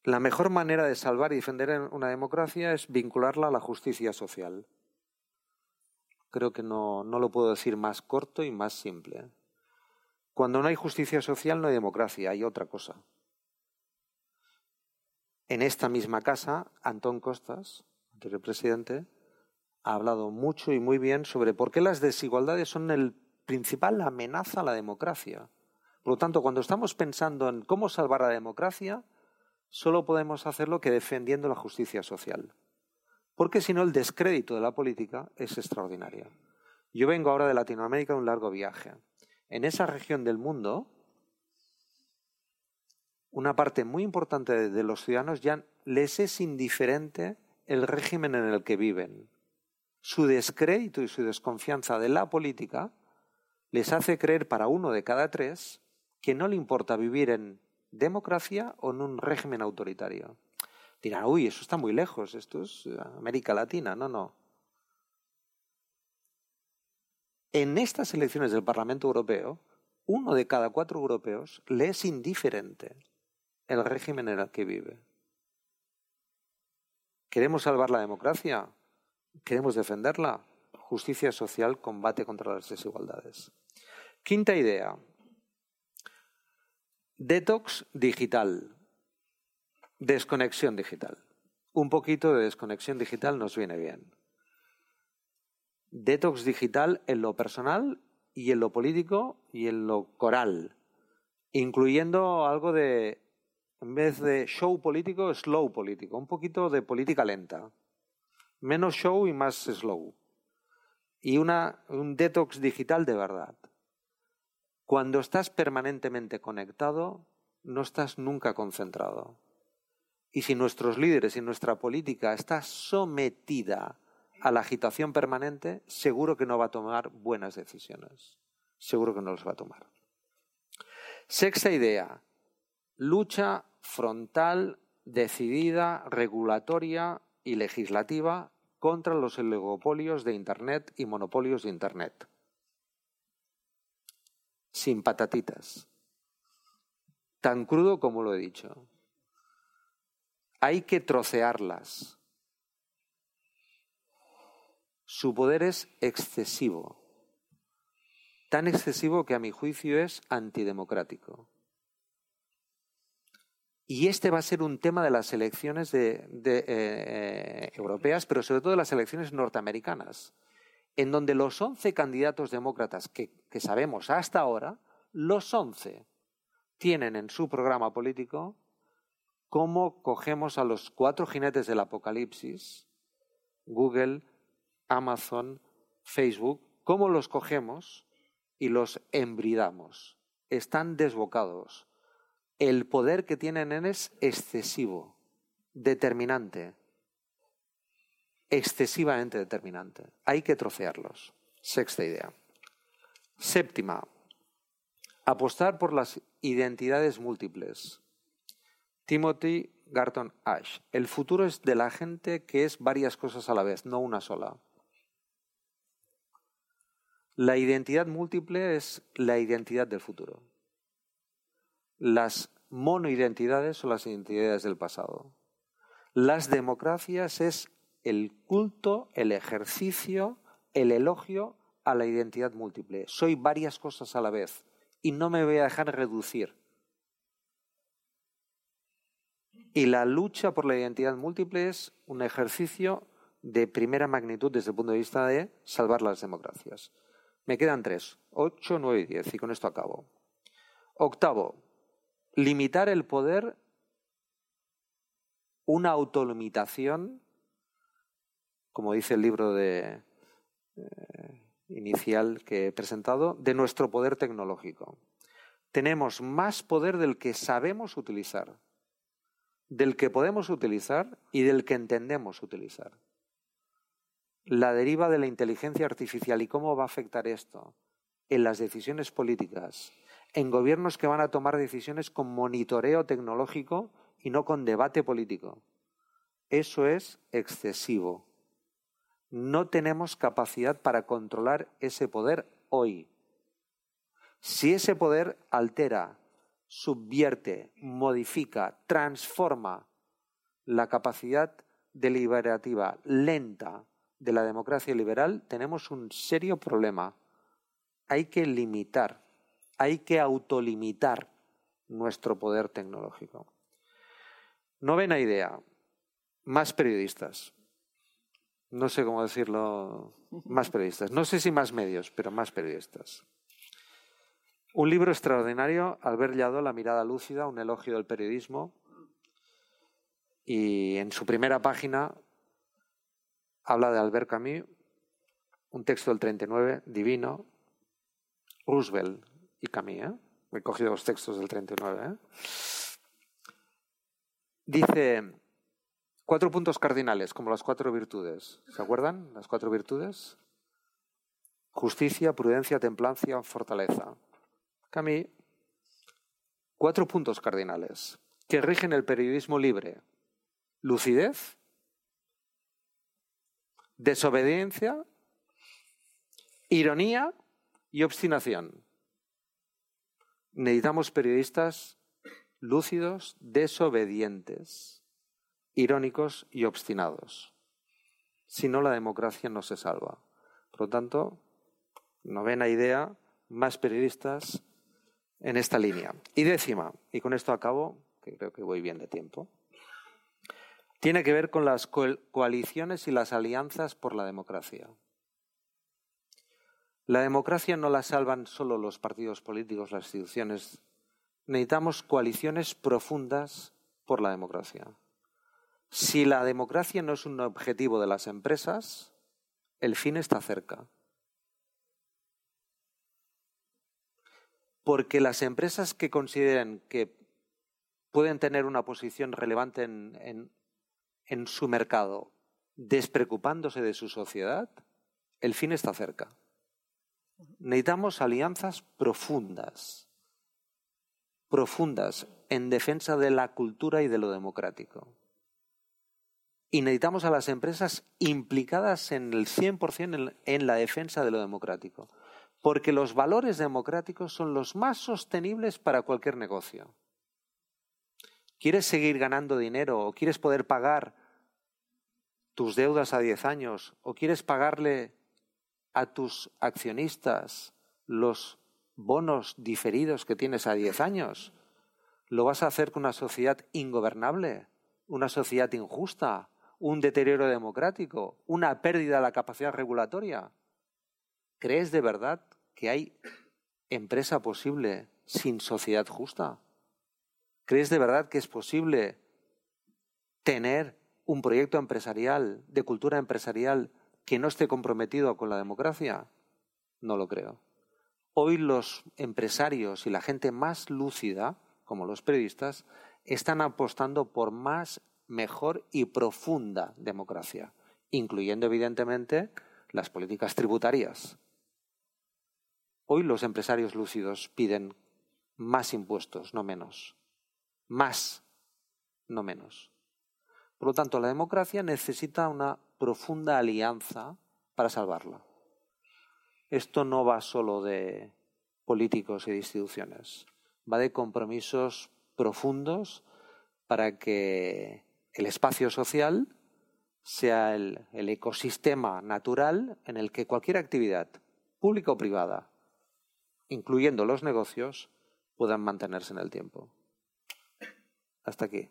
La mejor manera de salvar y defender una democracia es vincularla a la justicia social. creo que no, no lo puedo decir más corto y más simple. Cuando no hay justicia social no hay democracia, hay otra cosa. En esta misma casa, Antón Costas, anterior presidente, ha hablado mucho y muy bien sobre por qué las desigualdades son el principal amenaza a la democracia. Por lo tanto, cuando estamos pensando en cómo salvar la democracia, solo podemos hacerlo que defendiendo la justicia social. Porque si no, el descrédito de la política es extraordinario. Yo vengo ahora de Latinoamérica de un largo viaje. En esa región del mundo, una parte muy importante de los ciudadanos ya les es indiferente el régimen en el que viven. Su descrédito y su desconfianza de la política les hace creer para uno de cada tres que no le importa vivir en democracia o en un régimen autoritario. Dirán, uy, eso está muy lejos, esto es América Latina. No, no. En estas elecciones del Parlamento Europeo, uno de cada cuatro europeos le es indiferente el régimen en el que vive. ¿Queremos salvar la democracia? ¿Queremos defenderla? Justicia social, combate contra las desigualdades. Quinta idea. Detox digital. Desconexión digital. Un poquito de desconexión digital nos viene bien. Detox digital en lo personal y en lo político y en lo coral, incluyendo algo de, en vez de show político, slow político, un poquito de política lenta. Menos show y más slow. Y una, un detox digital de verdad. Cuando estás permanentemente conectado, no estás nunca concentrado. Y si nuestros líderes y nuestra política está sometida a la agitación permanente, seguro que no va a tomar buenas decisiones. Seguro que no las va a tomar. Sexta idea. Lucha frontal, decidida, regulatoria y legislativa contra los oligopolios de Internet y monopolios de Internet. Sin patatitas. Tan crudo como lo he dicho. Hay que trocearlas. Su poder es excesivo. Tan excesivo que a mi juicio es antidemocrático. Y este va a ser un tema de las elecciones de, de, eh, europeas, pero sobre todo de las elecciones norteamericanas, en donde los once candidatos demócratas que, que sabemos hasta ahora, los once tienen en su programa político cómo cogemos a los cuatro jinetes del apocalipsis, Google, Amazon, Facebook, cómo los cogemos y los embridamos. Están desbocados. El poder que tienen es excesivo, determinante, excesivamente determinante. Hay que trocearlos. Sexta idea. Séptima. Apostar por las identidades múltiples. Timothy Garton Ash. El futuro es de la gente que es varias cosas a la vez, no una sola. La identidad múltiple es la identidad del futuro. Las monoidentidades son las identidades del pasado. Las democracias es el culto, el ejercicio, el elogio a la identidad múltiple. Soy varias cosas a la vez y no me voy a dejar reducir. Y la lucha por la identidad múltiple es un ejercicio de primera magnitud desde el punto de vista de salvar las democracias. Me quedan tres, ocho, nueve y diez, y con esto acabo. Octavo, limitar el poder, una autolimitación, como dice el libro de, eh, inicial que he presentado, de nuestro poder tecnológico. Tenemos más poder del que sabemos utilizar, del que podemos utilizar y del que entendemos utilizar. La deriva de la inteligencia artificial y cómo va a afectar esto en las decisiones políticas, en gobiernos que van a tomar decisiones con monitoreo tecnológico y no con debate político. Eso es excesivo. No tenemos capacidad para controlar ese poder hoy. Si ese poder altera, subvierte, modifica, transforma la capacidad deliberativa lenta de la democracia liberal tenemos un serio problema. Hay que limitar, hay que autolimitar nuestro poder tecnológico. Novena idea, más periodistas. No sé cómo decirlo, más periodistas. No sé si más medios, pero más periodistas. Un libro extraordinario, Albert Lladó, La mirada lúcida, un elogio del periodismo. Y en su primera página habla de Albert Camus, un texto del treinta y nueve, divino, Roosevelt y Camus, ¿eh? He cogido los textos del treinta y nueve. ¿eh? Dice, cuatro puntos cardinales, como las cuatro virtudes. ¿Se acuerdan? Las cuatro virtudes. Justicia, prudencia, templanza, fortaleza. Camus, cuatro puntos cardinales que rigen el periodismo libre. Lucidez, desobediencia, ironía y obstinación. Necesitamos periodistas lúcidos, desobedientes, irónicos y obstinados. Si no, la democracia no se salva. Por lo tanto, novena idea, más periodistas en esta línea. Y décima, y con esto acabo, que creo que voy bien de tiempo, tiene que ver con las co- coaliciones y las alianzas por la democracia. La democracia no la salvan solo los partidos políticos, las instituciones. Necesitamos coaliciones profundas por la democracia. Si la democracia no es un objetivo de las empresas, el fin está cerca. Porque las empresas que consideren que pueden tener una posición relevante en, en, en su mercado, despreocupándose de su sociedad, el fin está cerca. Necesitamos alianzas profundas, profundas en defensa de la cultura y de lo democrático. Y necesitamos a las empresas implicadas en el cien por cien en, en la defensa de lo democrático. Porque los valores democráticos son los más sostenibles para cualquier negocio. ¿Quieres seguir ganando dinero o quieres poder pagar tus deudas a diez años o quieres pagarle a tus accionistas los bonos diferidos que tienes a diez años? ¿Lo vas a hacer con una sociedad ingobernable, una sociedad injusta, un deterioro democrático, una pérdida de la capacidad regulatoria? ¿Crees de verdad que hay empresa posible sin sociedad justa? ¿Crees de verdad que es posible tener un proyecto empresarial, de cultura empresarial, que no esté comprometido con la democracia? No lo creo. Hoy los empresarios y la gente más lúcida, como los periodistas, están apostando por más, mejor y profunda democracia, incluyendo evidentemente las políticas tributarias. Hoy los empresarios lúcidos piden más impuestos, no menos. Más, no menos. Por lo tanto, la democracia necesita una profunda alianza para salvarla. Esto no va solo de políticos y de instituciones, va de compromisos profundos para que el espacio social sea el, el ecosistema natural en el que cualquier actividad, pública o privada, incluyendo los negocios, puedan mantenerse en el tiempo. Hasta aquí.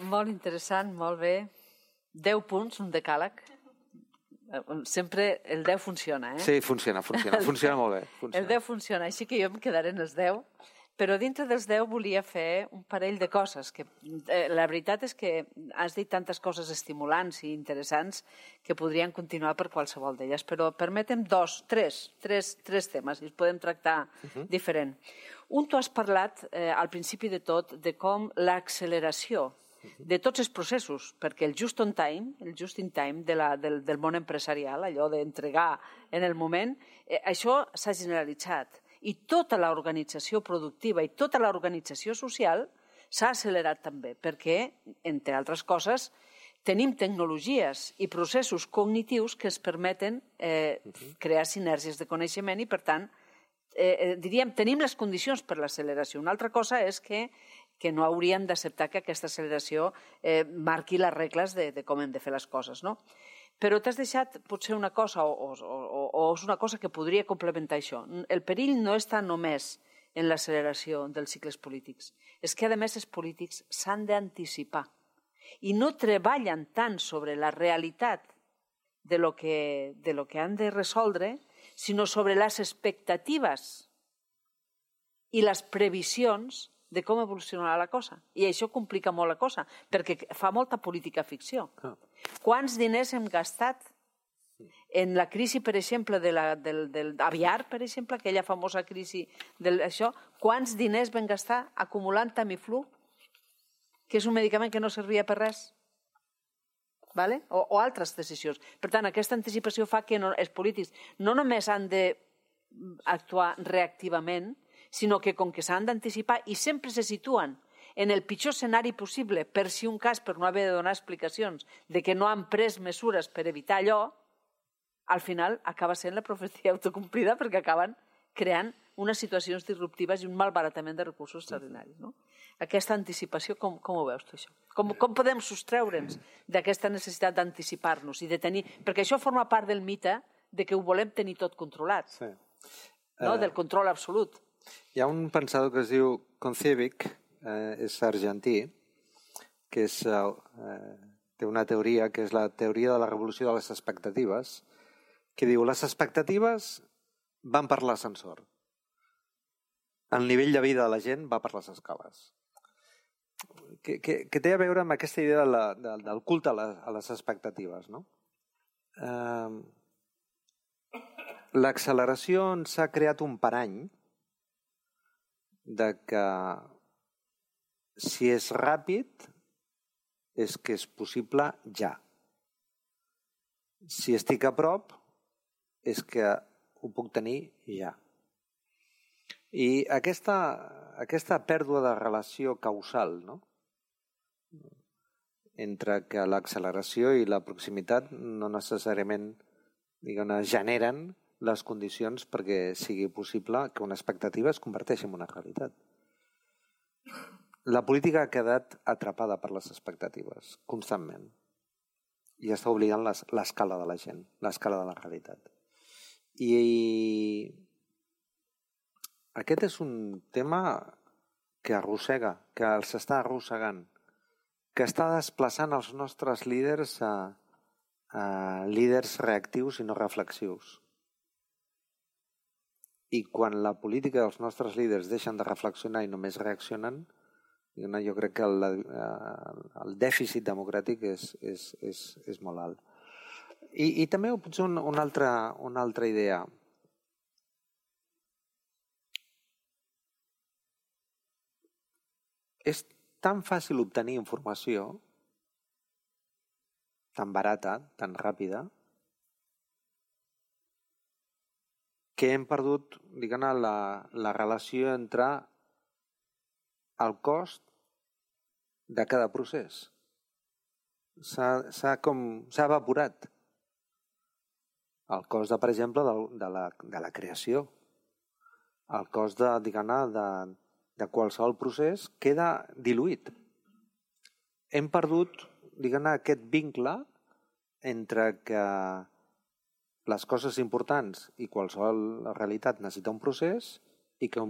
Molt interessant, molt bé. Deu punts, un decàleg. Sempre el deu funciona, eh? Sí, funciona, funciona. Funciona molt bé. Funciona. El deu funciona, així que jo em quedaré en els deu. Però dintre dels deu volia fer un parell de coses. Que, eh, la veritat és que has dit tantes coses estimulants i interessants que podrien continuar per qualsevol d'elles. Però permetem dos, tres, tres, tres temes i els podem tractar uh-huh. diferent. Un, tu has parlat eh, al principi de tot de com l'acceleració de tots els processos, perquè el just on time, el just in time de la, del, del món empresarial, allò d'entregar en el moment, eh, això s'ha generalitzat. I tota l'organització productiva i tota l'organització social s'ha accelerat també, perquè, entre altres coses, tenim tecnologies i processos cognitius que ens permeten eh, crear sinergies de coneixement i, per tant, eh, diríem, tenim les condicions per l'acceleració. Una altra cosa és que, que no hauríem d'acceptar que aquesta acceleració eh, marqui les regles de, de com hem de fer les coses, no? Però t'has deixat potser una cosa, o, o, o, o és una cosa que podria complementar això. El perill no està només en l'acceleració dels cicles polítics. És que, a més, els polítics s'han d'anticipar i no treballen tant sobre la realitat de lo que, de lo que han de resoldre, sinó sobre les expectatives i les previsions de com evolucionarà la cosa. I això complica molt la cosa, perquè fa molta política ficció. Ah. Quants diners hem gastat en la crisi, per exemple, de la, del, del aviar, per exemple, aquella famosa crisi d'això, quants diners vam gastar acumulant Tamiflu, que és un medicament que no servia per res? Vale? O, o altres decisions. Per tant, aquesta anticipació fa que no, els polítics no només han d'actuar reactivament, sinó que com que s'han d'anticipar i sempre se situen en el pitjor escenari possible per si un cas, per no haver de donar explicacions de que no han pres mesures per evitar allò, al final acaba sent la profecia autocomplida perquè acaben creant unes situacions disruptives i un malbaratament de recursos extraordinaris. No? Aquesta anticipació, com, com ho veus tu, això? Com, com podem sostreure'ns d'aquesta necessitat d'anticipar-nos i de tenir... Perquè això forma part del mite de que ho volem tenir tot controlat, sí. No? Del control absolut. Hi ha un pensador que es diu Koncevich, eh, és argentí, que és, eh, té una teoria que és la teoria de la revolució de les expectatives, que diu les expectatives van per l'ascensor. El nivell de vida de la gent va per les escales. Que, que, que té a veure amb aquesta idea de la, de, del culte a les, a les expectatives. No? Eh, L'acceleració ens ha creat un parany de que si és ràpid és que és possible ja. Si estic a prop és que ho puc tenir ja. I aquesta, aquesta pèrdua de relació causal, no? Entre que l'acceleració i la proximitat no necessàriament diguem, generen les condicions perquè sigui possible que una expectativa es converteixi en una realitat. La política ha quedat atrapada per les expectatives, constantment. I està oblidant l'escala de la gent, l'escala de la realitat. I aquest és un tema que arrossega, que els està arrossegant, que està desplaçant els nostres líders a, a líders reactius i no reflexius. I quan la política dels nostres líders deixen de reflexionar i només reaccionen, jo crec que el, el dèficit democràtic és, és, és, és molt alt. I, i també potser una, una, altra, una altra idea. És tan fàcil obtenir informació, tan barata, tan ràpida, que hem perdut diguem, la, la relació entre el cost de cada procés. S'ha evaporat. El cost, de, per exemple, de, de, la, de la creació. El cost de, diguem, de, de qualsevol procés queda diluït. Hem perdut diguem, aquest vincle entre que les coses importants i qualsevol realitat necessita un procés i que,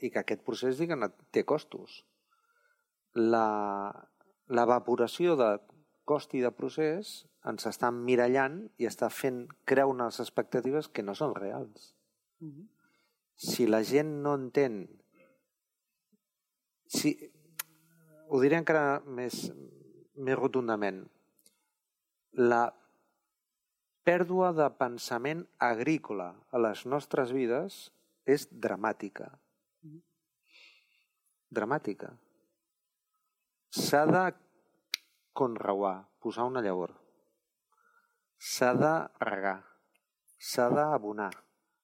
i que aquest procés diguem, té costos. L'evaporació de cost i de procés ens està emmirallant i està fent crear unes expectatives que no són reals. Mm-hmm. Si la gent no entén, si, ho diré encara més, més rotundament, la pèrdua de pensament agrícola a les nostres vides és dramàtica. Dramàtica. S'ha de conreuar, posar una llavor. S'ha de regar. S'ha d'abonar.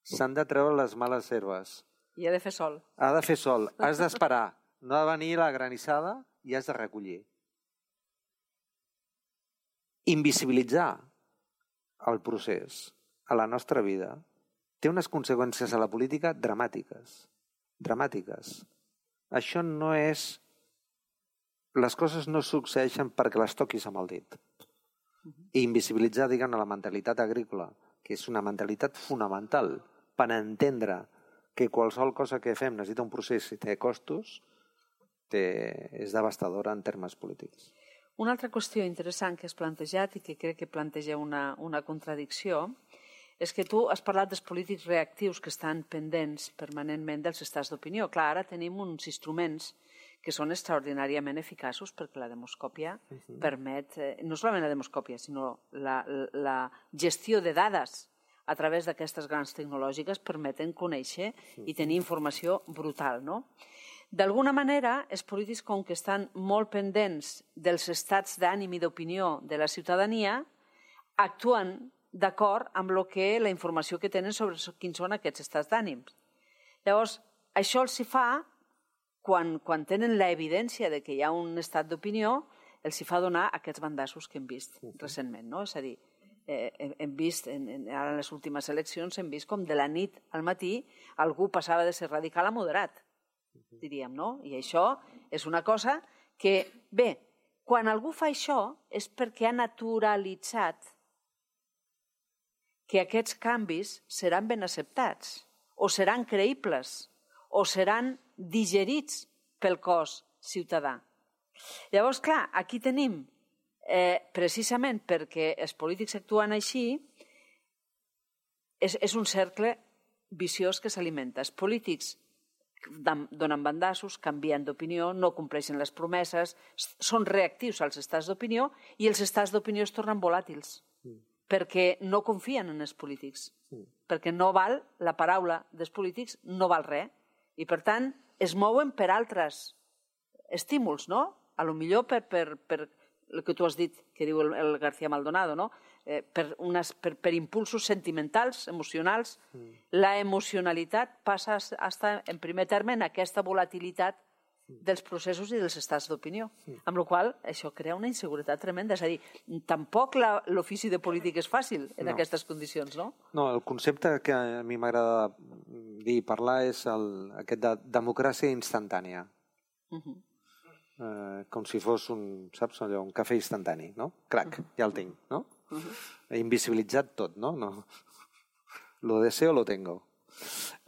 S'han de treure les males herbes. I ha de fer sol. Ha de fer sol. Has d'esperar. No ha de venir la granissada i has de recollir. Invisibilitzar el procés a la nostra vida té unes conseqüències a la política dramàtiques. Dramàtiques. Això no és... Les coses no succeeixen perquè les toquis amb el dit. I invisibilitzar, diguem, la mentalitat agrícola, que és una mentalitat fonamental per entendre que qualsevol cosa que fem necessita un procés i té costos, té, és devastadora en termes polítics. Una altra qüestió interessant que has plantejat i que crec que planteja una, una contradicció és que tu has parlat dels polítics reactius que estan pendents permanentment dels estats d'opinió. Clar, ara tenim uns instruments que són extraordinàriament eficaços perquè la demoscòpia uh-huh. permet, eh, no solament la demoscòpia, sinó la, la gestió de dades a través d'aquestes grans tecnològiques permeten conèixer uh-huh. i tenir informació brutal, no? D'alguna manera, els polítics, com que estan molt pendents dels estats d'ànim i d'opinió de la ciutadania, actuen d'acord amb lo que, la informació que tenen sobre quins són aquests estats d'ànims. Llavors, això els hi fa, quan, quan tenen l'evidència de que hi ha un estat d'opinió, els hi fa donar aquests bandassos que hem vist uh-huh. recentment, no? És a dir, eh, hem vist, en, en, ara en les últimes eleccions, hem vist com de la nit al matí algú passava de ser radical a moderat, diríem, no? I això és una cosa que, bé, quan algú fa això és perquè ha naturalitzat que aquests canvis seran ben acceptats, o seran creïbles, o seran digerits pel cos ciutadà. Llavors, clar, aquí tenim, eh, precisament perquè els polítics actuen així, és, és un cercle viciós que s'alimenta. Els polítics donen bandassos, canvien d'opinió, no compleixen les promeses, són reactius als estats d'opinió i els estats d'opinió es tornen volàtils mm. perquè no confien en els polítics, mm. perquè no val, la paraula dels polítics no val res i per tant es mouen per altres estímuls, no? A lo millor per, per, per el que tu has dit, que diu el, el García Maldonado, no? Eh, per, unes, per, per impulsos sentimentals, emocionals. Mm. La emocionalitat passa a estar en primer terme en aquesta volatilitat dels processos i dels estats d'opinió, mm. amb la qual cosa això crea una inseguretat tremenda. És a dir, tampoc l'ofici de polític és fàcil en no. aquestes condicions, no? No, el concepte que a mi m'agrada dir i parlar és el, aquest de democràcia instantània. Uh-huh. eh, com si fos un, saps, allò, un cafè instantani, no? Crac, uh-huh. ja el tinc, no? Uh-huh. He invisibilitzat tot, no? no? Lo deseo, lo tengo.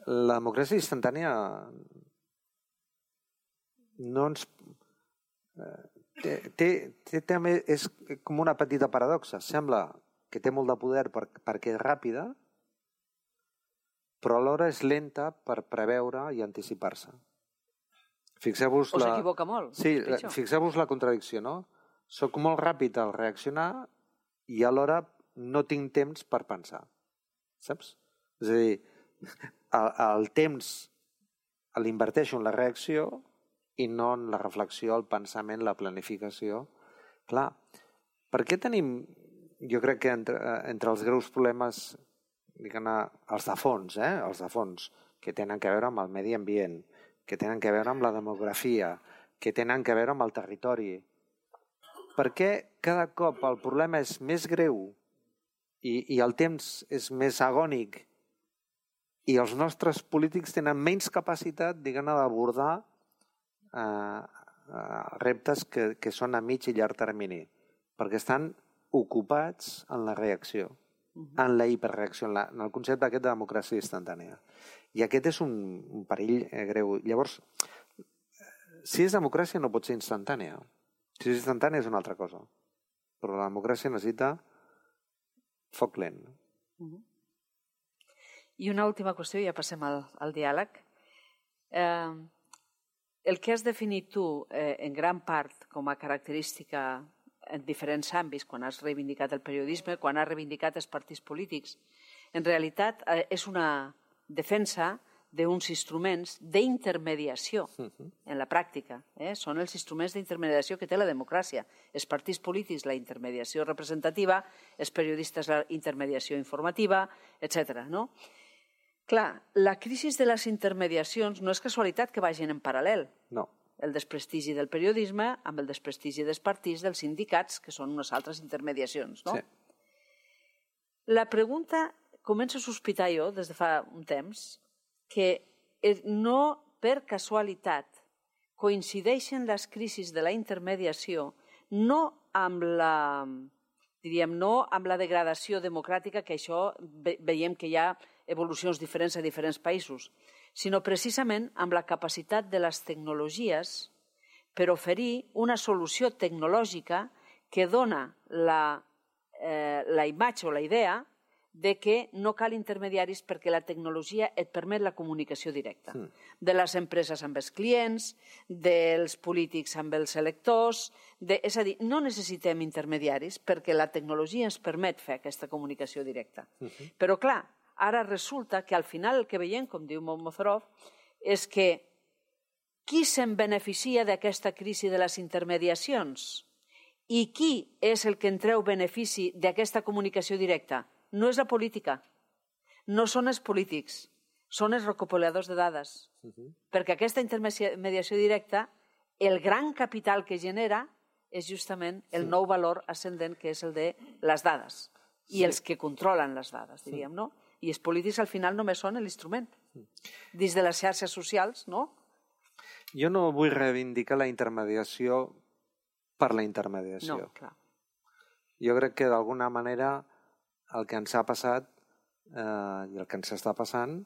La democràcia instantània no ens... Eh, té, té, té, també és com una petita paradoxa. Sembla que té molt de poder per, perquè és ràpida, però alhora és lenta per preveure i anticipar-se. Fixeu-vos o la... s'equivoca molt. Sí, fixeu-vos la contradicció, no? Soc molt ràpid al reaccionar i alhora no tinc temps per pensar. Saps? És a dir, el, el temps l'inverteixo en la reacció i no en la reflexió, el pensament, la planificació. Clar, per què tenim, jo crec que entre, entre els greus problemes, diguem-ne, els de fons, eh? els de fons, que tenen a veure amb el medi ambient, que tenen a veure amb la demografia, que tenen a veure amb el territori. Per què cada cop el problema és més greu i, i el temps és més agònic i els nostres polítics tenen menys capacitat, diguem-ne, d'abordar eh, eh, reptes que, que són a mig i llarg termini, perquè estan ocupats en la reacció, en la hiperreacció, en, la, en el concepte aquest de democràcia instantània. I aquest és un, un perill eh, greu. Llavors, si és democràcia no pot ser instantània. Si és instantània és una altra cosa. Però la democràcia necessita foc lent. Uh-huh. I una última qüestió, ja passem al, al diàleg. Eh, el que has definit tu eh, en gran part com a característica en diferents àmbits, quan has reivindicat el periodisme, quan has reivindicat els partits polítics, en realitat eh, és una defensa d'uns instruments d'intermediació uh-huh. en la pràctica. Eh? Són els instruments d'intermediació que té la democràcia. Els partits polítics, la intermediació representativa, els periodistes, la intermediació informativa, etcètera. No? Clar, la crisi de les intermediacions no és casualitat que vagin en paral·lel. No. El desprestigi del periodisme amb el desprestigi dels partits, dels sindicats, que són unes altres intermediacions. No? Sí. La pregunta començo a sospitar jo, des de fa un temps, que no per casualitat coincideixen les crisis de la intermediació no amb la, diríem, no amb la degradació democràtica, que això veiem que hi ha evolucions diferents a diferents països, sinó precisament amb la capacitat de les tecnologies per oferir una solució tecnològica que dona la, eh, la imatge o la idea de que no cal intermediaris perquè la tecnologia et permet la comunicació directa. Mm. De les empreses amb els clients, dels polítics amb els electors, de, és a dir, no necessitem intermediaris perquè la tecnologia ens permet fer aquesta comunicació directa. Mm-hmm. Però clar, ara resulta que al final el que veiem, com diu Mozorov, és que qui se'n beneficia d'aquesta crisi de les intermediacions i qui és el que en treu benefici d'aquesta comunicació directa? No és la política, no són els polítics, són els recopiladors de dades. Uh-huh. Perquè aquesta intermediació directa, el gran capital que genera és justament el sí. nou valor ascendent que és el de les dades i sí. els que controlen les dades, diríem, no? I els polítics al final només són l'instrument. Dins de les xarxes socials, no? Jo no vull reivindicar la intermediació per la intermediació. No, clar. Jo crec que d'alguna manera el que ens ha passat eh, i el que ens està passant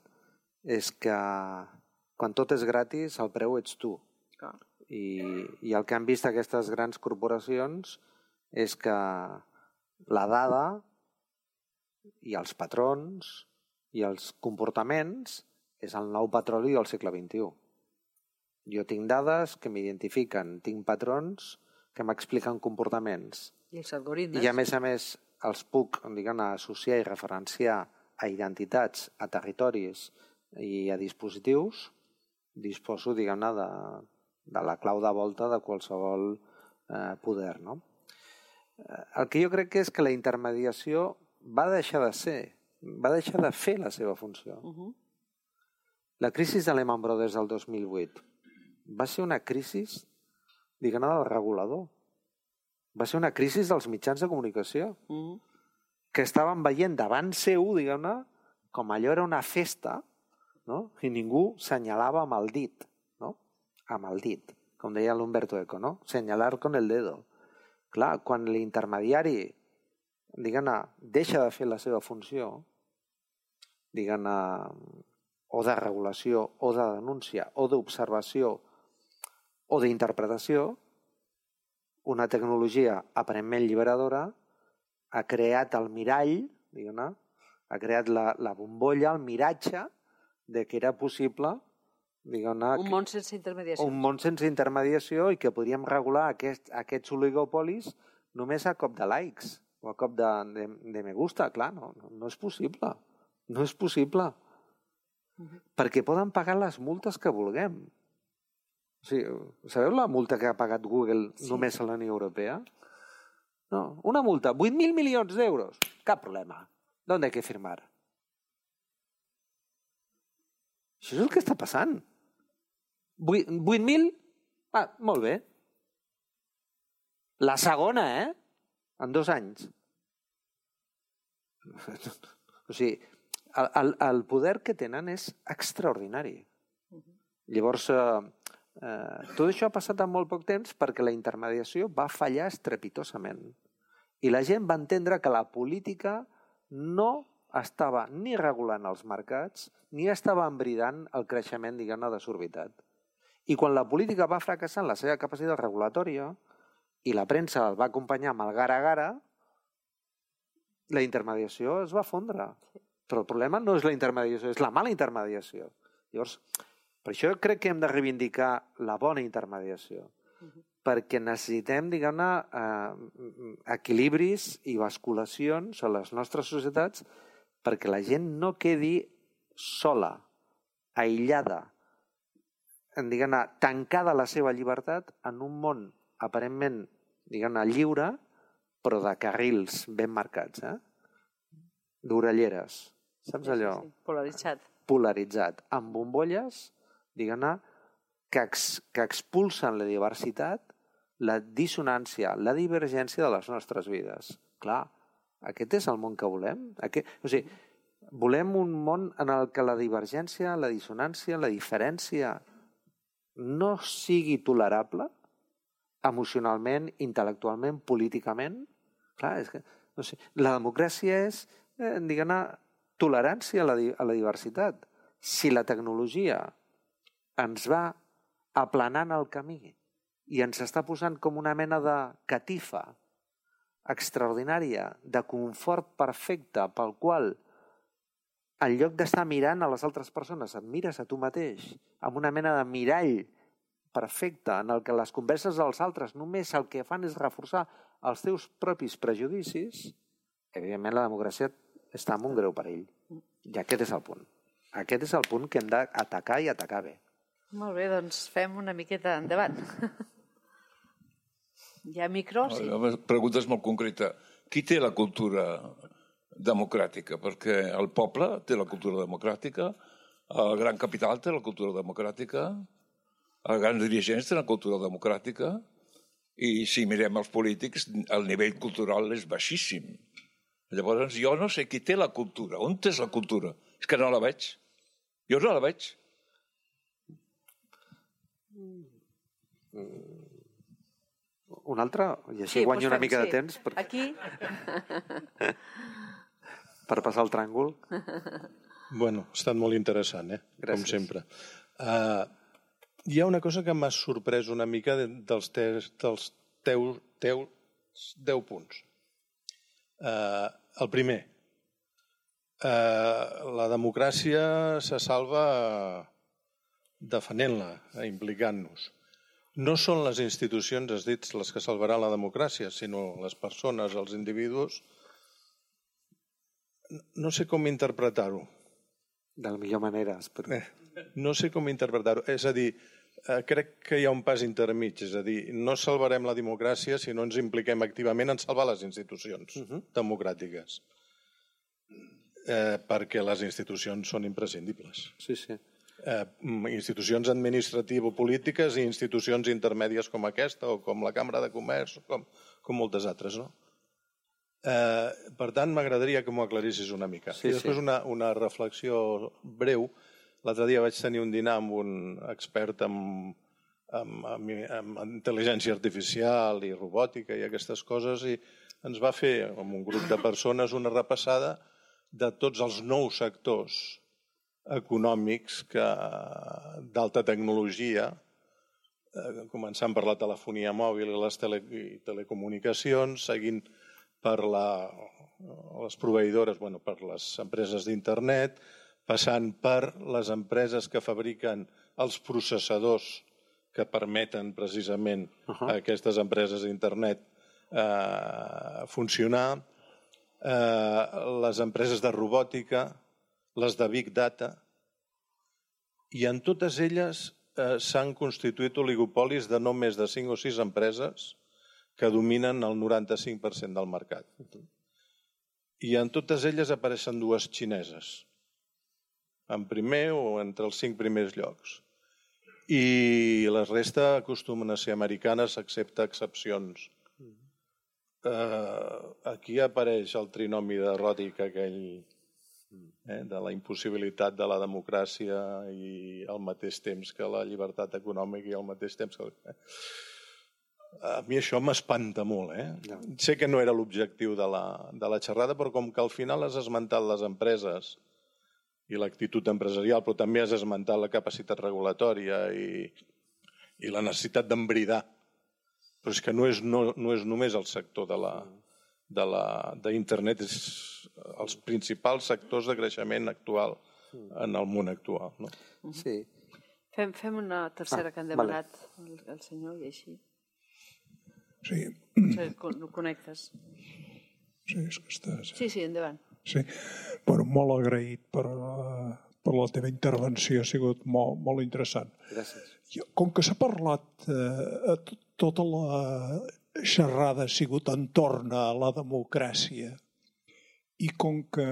és que quan tot és gratis el preu ets tu. Ah. I, i el que han vist aquestes grans corporacions és que la dada i els patrons i els comportaments és el nou petroli del segle vint-i-u. Jo tinc dades que m'identifiquen, tinc patrons que m'expliquen comportaments. I els algoritmes. I a més a més els puc, diguem, associar i referenciar a identitats, a territoris i a dispositius, disposo, diguem-ne, de, de la clau de volta de qualsevol eh, poder, no? El que jo crec que és que la intermediació va deixar de ser, va deixar de fer la seva funció. Uh-huh. La crisi de Lehman Brothers del dos mil vuit va ser una crisi, diguem-ne, del regulador. Va ser una crisi dels mitjans de comunicació, mm. que estaven veient davant seu, diguem-ne, com allò era una festa, no? I ningú senyalava amb el dit, no? Amb el dit, com deia l'Umberto Eco, no? Senyalar con el dedo. Clar, quan l'intermediari, diguem-ne, deixa de fer la seva funció, diguem-ne, o de regulació, o de denúncia, o d'observació, o d'interpretació, una tecnologia aparentment liberadora ha creat el mirall, diguem-ne, ha creat la, la bombolla, el miratge de que era possible, diguem-ne... Un món sense intermediació. Un món sense intermediació i que podríem regular aquest, aquests oligopolis només a cop de likes o a cop de, de, de me gusta. Clar, no, no, no és possible. No és possible. Uh-huh. Perquè poden pagar les multes que vulguem. O sigui, sabeu la multa que ha pagat Google sí. només a la Unió Europea? No, una multa, vuit mil milions d'euros. Cap problema. ¿Dónde hay que firmar? Això és el que està passant. vuit mil? Ah, molt bé. La segona, eh? En dos anys. O sigui, el, el, el poder que tenen és extraordinari. Llavors... Eh, Uh, tot això ha passat en molt poc temps perquè la intermediació va fallar estrepitosament i la gent va entendre que la política no estava ni regulant els mercats ni estava embridant el creixement, diguem-ne, desorbitat. I quan la política va fracassar en la seva capacitat regulatòria i la premsa el va acompanyar amb el gara-gara, la intermediació es va fondre. Però el problema no és la intermediació, és la mala intermediació. Llavors, per això crec que hem de reivindicar la bona intermediació, uh-huh. perquè necessitem, diguem-ne, eh, equilibris i basculacions a les nostres societats perquè la gent no quedi sola, aïllada, diguem-ne, tancada a la seva llibertat en un món aparentment, diguem-ne, lliure, però de carrils ben marcats, eh? D'orelleres, saps allò? Sí, sí, sí. Polaritzat. Polaritzat, amb bombolles, diguem-ne, que, ex, que expulsen la diversitat, la dissonància, la divergència de les nostres vides. Clar, aquest és el món que volem? Aquest, o sigui, volem un món en el que la divergència, la dissonància, la diferència no sigui tolerable emocionalment, intel·lectualment, políticament. Clar, és que, no sé, la democràcia és, eh, diguem-ne, tolerància a la, a la diversitat. Si la tecnologia ens va aplanant el camí i ens està posant com una mena de catifa extraordinària, de confort perfecte, pel qual en lloc d'estar mirant a les altres persones, et mires a tu mateix, amb una mena de mirall perfecte, en el que les converses dels altres només el que fan és reforçar els teus propis prejudicis, evidentment la democràcia està en un greu perill. I aquest és el punt. Aquest és el punt que hem d'atacar i atacar bé. Molt bé, doncs fem una miqueta endavant. Hi ha micro? Sí. La pregunta és molt concreta. Qui té la cultura democràtica? Perquè el poble té la cultura democràtica, el gran capital té la cultura democràtica, els grans dirigents tenen la cultura democràtica, i si mirem els polítics, el nivell cultural és baixíssim. Llavors, jo no sé qui té la cultura. On és la cultura? És que no la veig. Jo no la veig. Un altre? I així sí, guanyo una mica sí. de temps. Per... Aquí? Per passar el tràngol. Bueno, ha estat molt interessant, eh? Gràcies. Com sempre. Uh, hi ha una cosa que m'ha sorprès una mica dels, teus, dels teus, teus deu punts. Uh, el primer, uh, la democràcia se salva defenent-la, implicant-nos. No són les institucions, has dit, les que salvaran la democràcia, sinó les persones, els individus. No sé com interpretar-ho. De la millor manera, espero. Eh, no sé com interpretar-ho. És a dir, eh, crec que hi ha un pas intermig. És a dir, no salvarem la democràcia si no ens impliquem activament en salvar les institucions uh-huh. democràtiques. Eh, perquè les institucions són imprescindibles. Sí, sí. Eh, institucions administrativo-polítiques i institucions intermèdies com aquesta o com la Cambra de Comerç o com, com moltes altres, no? Eh, per tant, m'agradaria que m'ho aclarissis una mica. Sí, I després sí. una, una reflexió breu. L'altre dia vaig tenir un dinar amb un expert en, en, en, en intel·ligència artificial i robòtica i aquestes coses i ens va fer, amb un grup de persones, una repassada de tots els nous sectors econòmics que d'alta tecnologia, eh, començant per la telefonia mòbil i les tele, i telecomunicacions, seguint per la, les proveïdores, bueno, per les empreses d'internet, passant per les empreses que fabriquen els processadors que permeten precisament uh-huh. a aquestes empreses d'internet eh, funcionar, eh, les empreses de robòtica, les de Big Data, i en totes elles eh, s'han constituït oligopolis de no més de cinc o sis empreses que dominen el noranta-cinc per cent del mercat. I en totes elles apareixen dues xineses, en primer o entre els cinc primers llocs. I la resta acostumen a ser americanes, excepte excepcions. Eh, aquí apareix el trinomi de Ròdic, aquell eh, de la impossibilitat de la democràcia i al mateix temps que la llibertat econòmica i al mateix temps que... Eh. A mi això m'espanta molt. Eh? No. Sé que no era l'objectiu de, la, de la xerrada, però com que al final has esmentat les empreses i l'actitud empresarial, però també has esmentat la capacitat regulatòria i, i la necessitat d'embridar. Però és que no és, no, no és només el sector de la, de la, d'internet, és els principals sectors de creixement actual en el món actual. No? Sí. Fem, fem una tercera ah, que han demanat vale. el, el senyor i així. Sí. Sí, connectes. Sí, és que estàs... Sí, sí, endavant. Sí. Bueno, molt agraït per, uh, per la teva intervenció, ha sigut molt, molt interessant. Gràcies. Com que s'ha parlat, uh, tota la xerrada ha sigut entorn a la democràcia i com que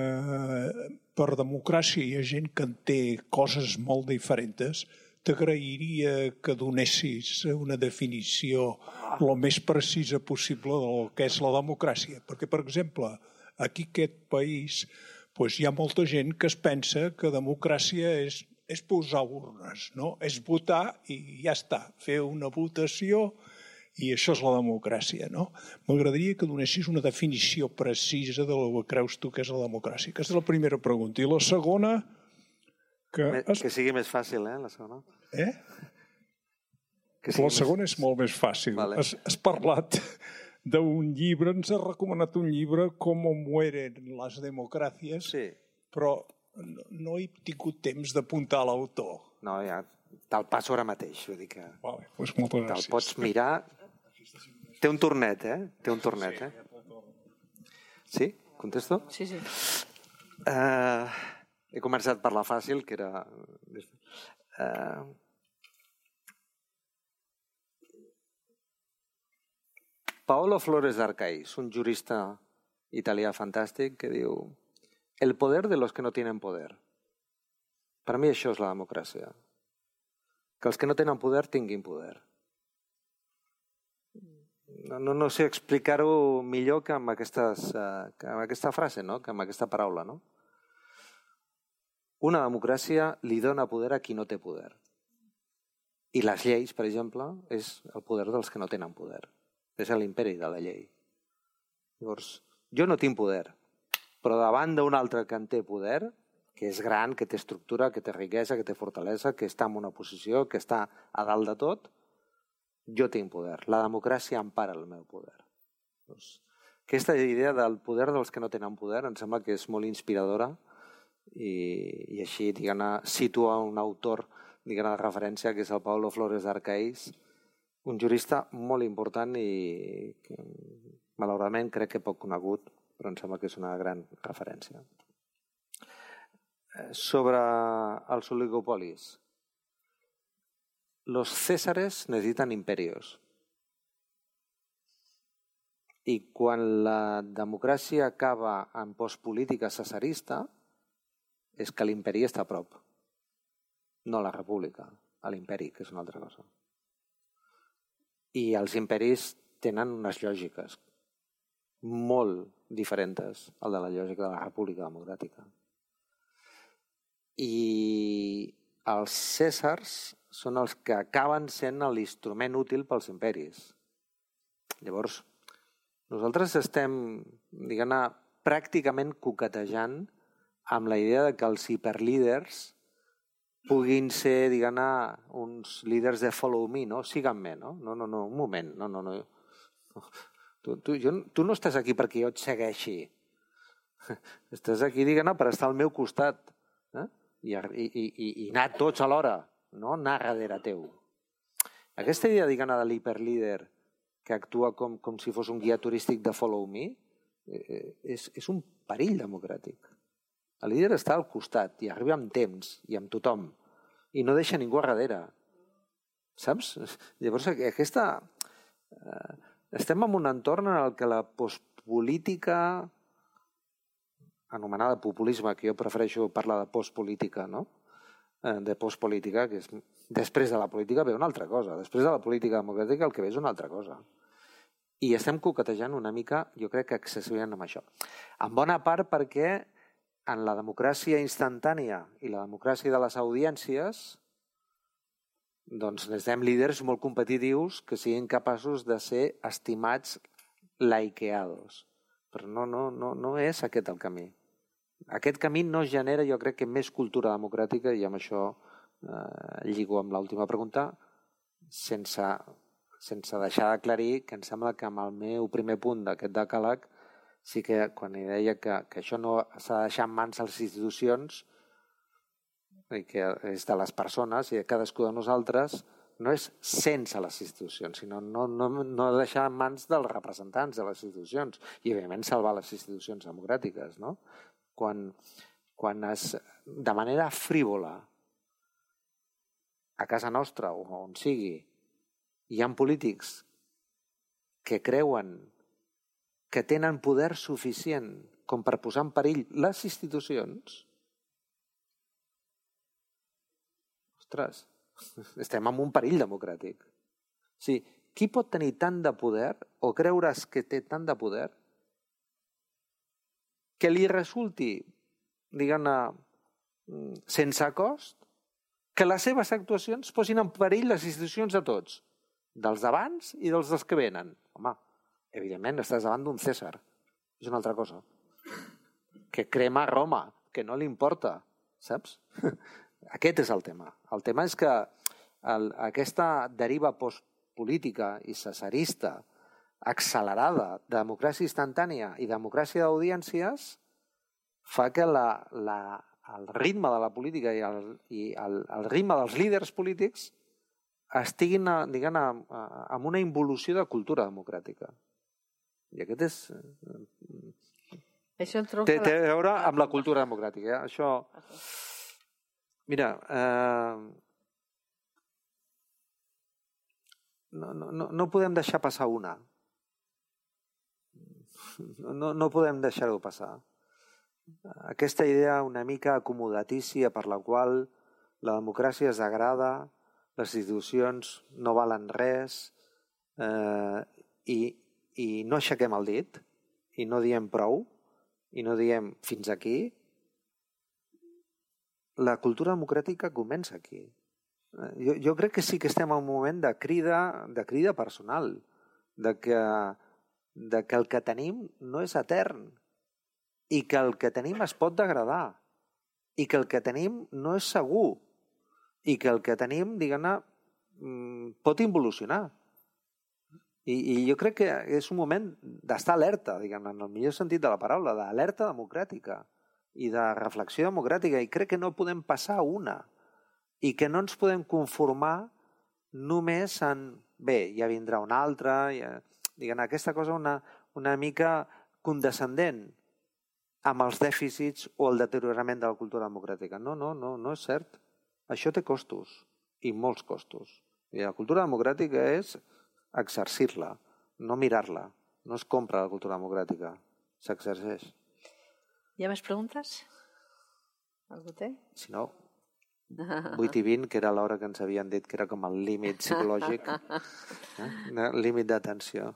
per democràcia hi ha gent que en té coses molt diferents, t'agrairia que donessis una definició el més precisa possible del que és la democràcia. Perquè, per exemple, aquí aquest país doncs hi ha molta gent que es pensa que democràcia és, és posar urnes, no? És votar i ja està, fer una votació i això és la democràcia, no? M'agradaria que donessis una definició precisa de lo que creus tu que és la democràcia. Aquesta és la primera pregunta. I la segona... Que, es... que sigui més fàcil, eh, la segona. Eh? Que la segona més... és molt més fàcil. Vale. Has, has parlat d'un llibre, ens has recomanat un llibre Com mueren les democràcies, sí. Però no, no he tingut temps d'apuntar l'autor. No, ja te'l passo ara mateix. Vull dir que vale, doncs moltes gràcies. Te'l pots mirar... Té un tornet, eh? Té un tornet, eh? Sí? Contesto? Sí, sí. Uh, he començat per la fàcil, que era... Uh, Paolo Flores d'Arcais, un jurista italià fantàstic, que diu: el poder de los que no tienen poder. Per mi això és la democràcia. Que els que no tenen poder tinguin poder. No, no, no sé explicar-ho millor que amb, aquestes, uh, que amb aquesta frase, no? Que amb aquesta paraula. No? Una democràcia li dona poder a qui no té poder. I les lleis, per exemple, és el poder dels que no tenen poder. És l'imperi de la llei. Llavors, jo no tinc poder, però davant d'un altre que en té poder, que és gran, que té estructura, que té riquesa, que té fortalesa, que està en una posició, que està a dalt de tot, jo tinc poder. La democràcia empara el meu poder. Doncs, aquesta idea del poder dels que no tenen poder em sembla que és molt inspiradora i, i així diguem, situa un autor diguem, de referència que és el Paolo Flores d'Arcais, un jurista molt important i que, malauradament crec que poc conegut, però em sembla que és una gran referència. Sobre els oligopolis. Los césares necesitan imperios. I quan la democràcia acaba en postpolítica cesarista és que l'imperi està a prop. No la república, a l'imperi, que és una altra cosa. I els imperis tenen unes lògiques molt diferents al de la lògica de la república democràtica. I els cèsars són els que acaben sent l'instrument útil pels imperis. Llavors, nosaltres estem, diguem-ne, pràcticament coquetejant amb la idea de que els hiperlíders puguin ser, diguem-ne, uns líders de follow me, no? Síganme, no? No, no, no, un moment, no, no, no. Tu, tu, jo, tu no estàs aquí perquè jo et segueixi. Estàs aquí, diguem-ne, per estar al meu costat. Eh? I, i, i, i anar tots alhora, no anar darrere teu. Aquesta idea, diguem-ne, de l'hiperlíder que actua com, com si fos un guia turístic de follow me eh, és, és un perill democràtic. El líder està al costat i arriba amb temps i amb tothom i no deixa ningú a darrere. Saps? Llavors, aquesta... Eh, estem en un entorn en el que la postpolítica, anomenada populisme, que jo prefereixo parlar de postpolítica, no? De postpolítica, que és després de la política ve una altra cosa. Després de la política democràtica el que ve és una altra cosa. I estem coquetejant una mica, jo crec que excessivament amb això. En bona part perquè en la democràcia instantània i la democràcia de les audiències doncs necessitem líders molt competitius que siguin capaços de ser estimats likeados. Però no, no, no, no és aquest el camí. Aquest camí no genera, jo crec, que més cultura democràtica, i amb això eh, lligo amb l'última pregunta, sense, sense deixar d'aclarir que em sembla que amb el meu primer punt d'aquest decàleg sí que quan hi deia que, que això no s'ha de deixar en mans de les institucions i que és de les persones i de cadascú de nosaltres, no és sense les institucions, sinó no, no, no deixar en mans dels representants de les institucions i, evidentment, salvar les institucions democràtiques, no? Quan, quan es, de manera frívola a casa nostra o on sigui hi ha polítics que creuen que tenen poder suficient com per posar en perill les institucions, ostres, estem en un perill democràtic. O sigui, qui pot tenir tant de poder o creure's que té tant de poder que li resulti diguem-ne, sense cost, que les seves actuacions posin en perill les institucions de tots, dels d'abans i dels dels que venen. Home, evidentment estàs davant d'un Cèsar, és una altra cosa. Que crema Roma, que no li importa, saps? Aquest és el tema. El tema és que el, aquesta deriva postpolítica i cesarista accelerada de democràcia instantània i democràcia d'audiències fa que la, la, el ritme de la política i el, i el, el ritme dels líders polítics estiguin, diguem, amb una involució de cultura democràtica. I aquest és... Això té, té a veure amb la cultura democràtica. Eh? Això... Mira, eh... no, no, no podem deixar passar una. No, no podem deixar-ho passar. Aquesta idea una mica acomodatícia per la qual la democràcia es degrada, les institucions no valen res eh, i, i no aixequem el dit i no diem prou i no diem fins aquí. La cultura democràtica comença aquí. Jo, jo crec que sí que estem en un moment de crida, de crida personal, de que, de que el que tenim no és etern i que el que tenim es pot degradar i que el que tenim no és segur i que el que tenim, diguem-ne, pot involucionar. I, I jo crec que és un moment d'estar alerta, diguem-ne, en el millor sentit de la paraula, d'alerta democràtica i de reflexió democràtica, i crec que no podem passar una i que no ens podem conformar només en, bé, ja vindrà una altra, ja, diguem-ne, aquesta cosa una, una mica condescendent amb els dèficits o el deteriorament de la cultura democràtica. No, no, no, no és cert. Això té costos, i molts costos. I la cultura democràtica és exercir-la, no mirar-la. No es compra la cultura democràtica, s'exerceix. Hi ha més preguntes? Algú té? Si no, vuit i vint, que era l'hora que ens havien dit que era com el límit psicològic, eh? El límit d'atenció.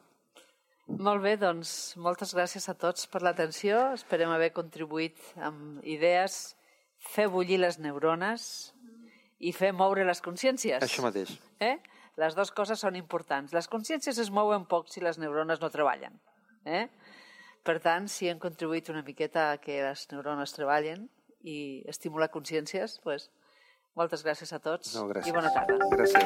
Molt bé, doncs moltes gràcies a tots per l'atenció. Esperem haver contribuït amb idees, fer bullir les neurones i fer moure les consciències. Això mateix. Eh? Les dues coses són importants. Les consciències es mouen poc si les neurones no treballen. Eh? Per tant, si hem contribuït una miqueta a que les neurones treballen i estimular consciències, doncs, moltes gràcies a tots no, gràcies. I bona tarda. Gràcies.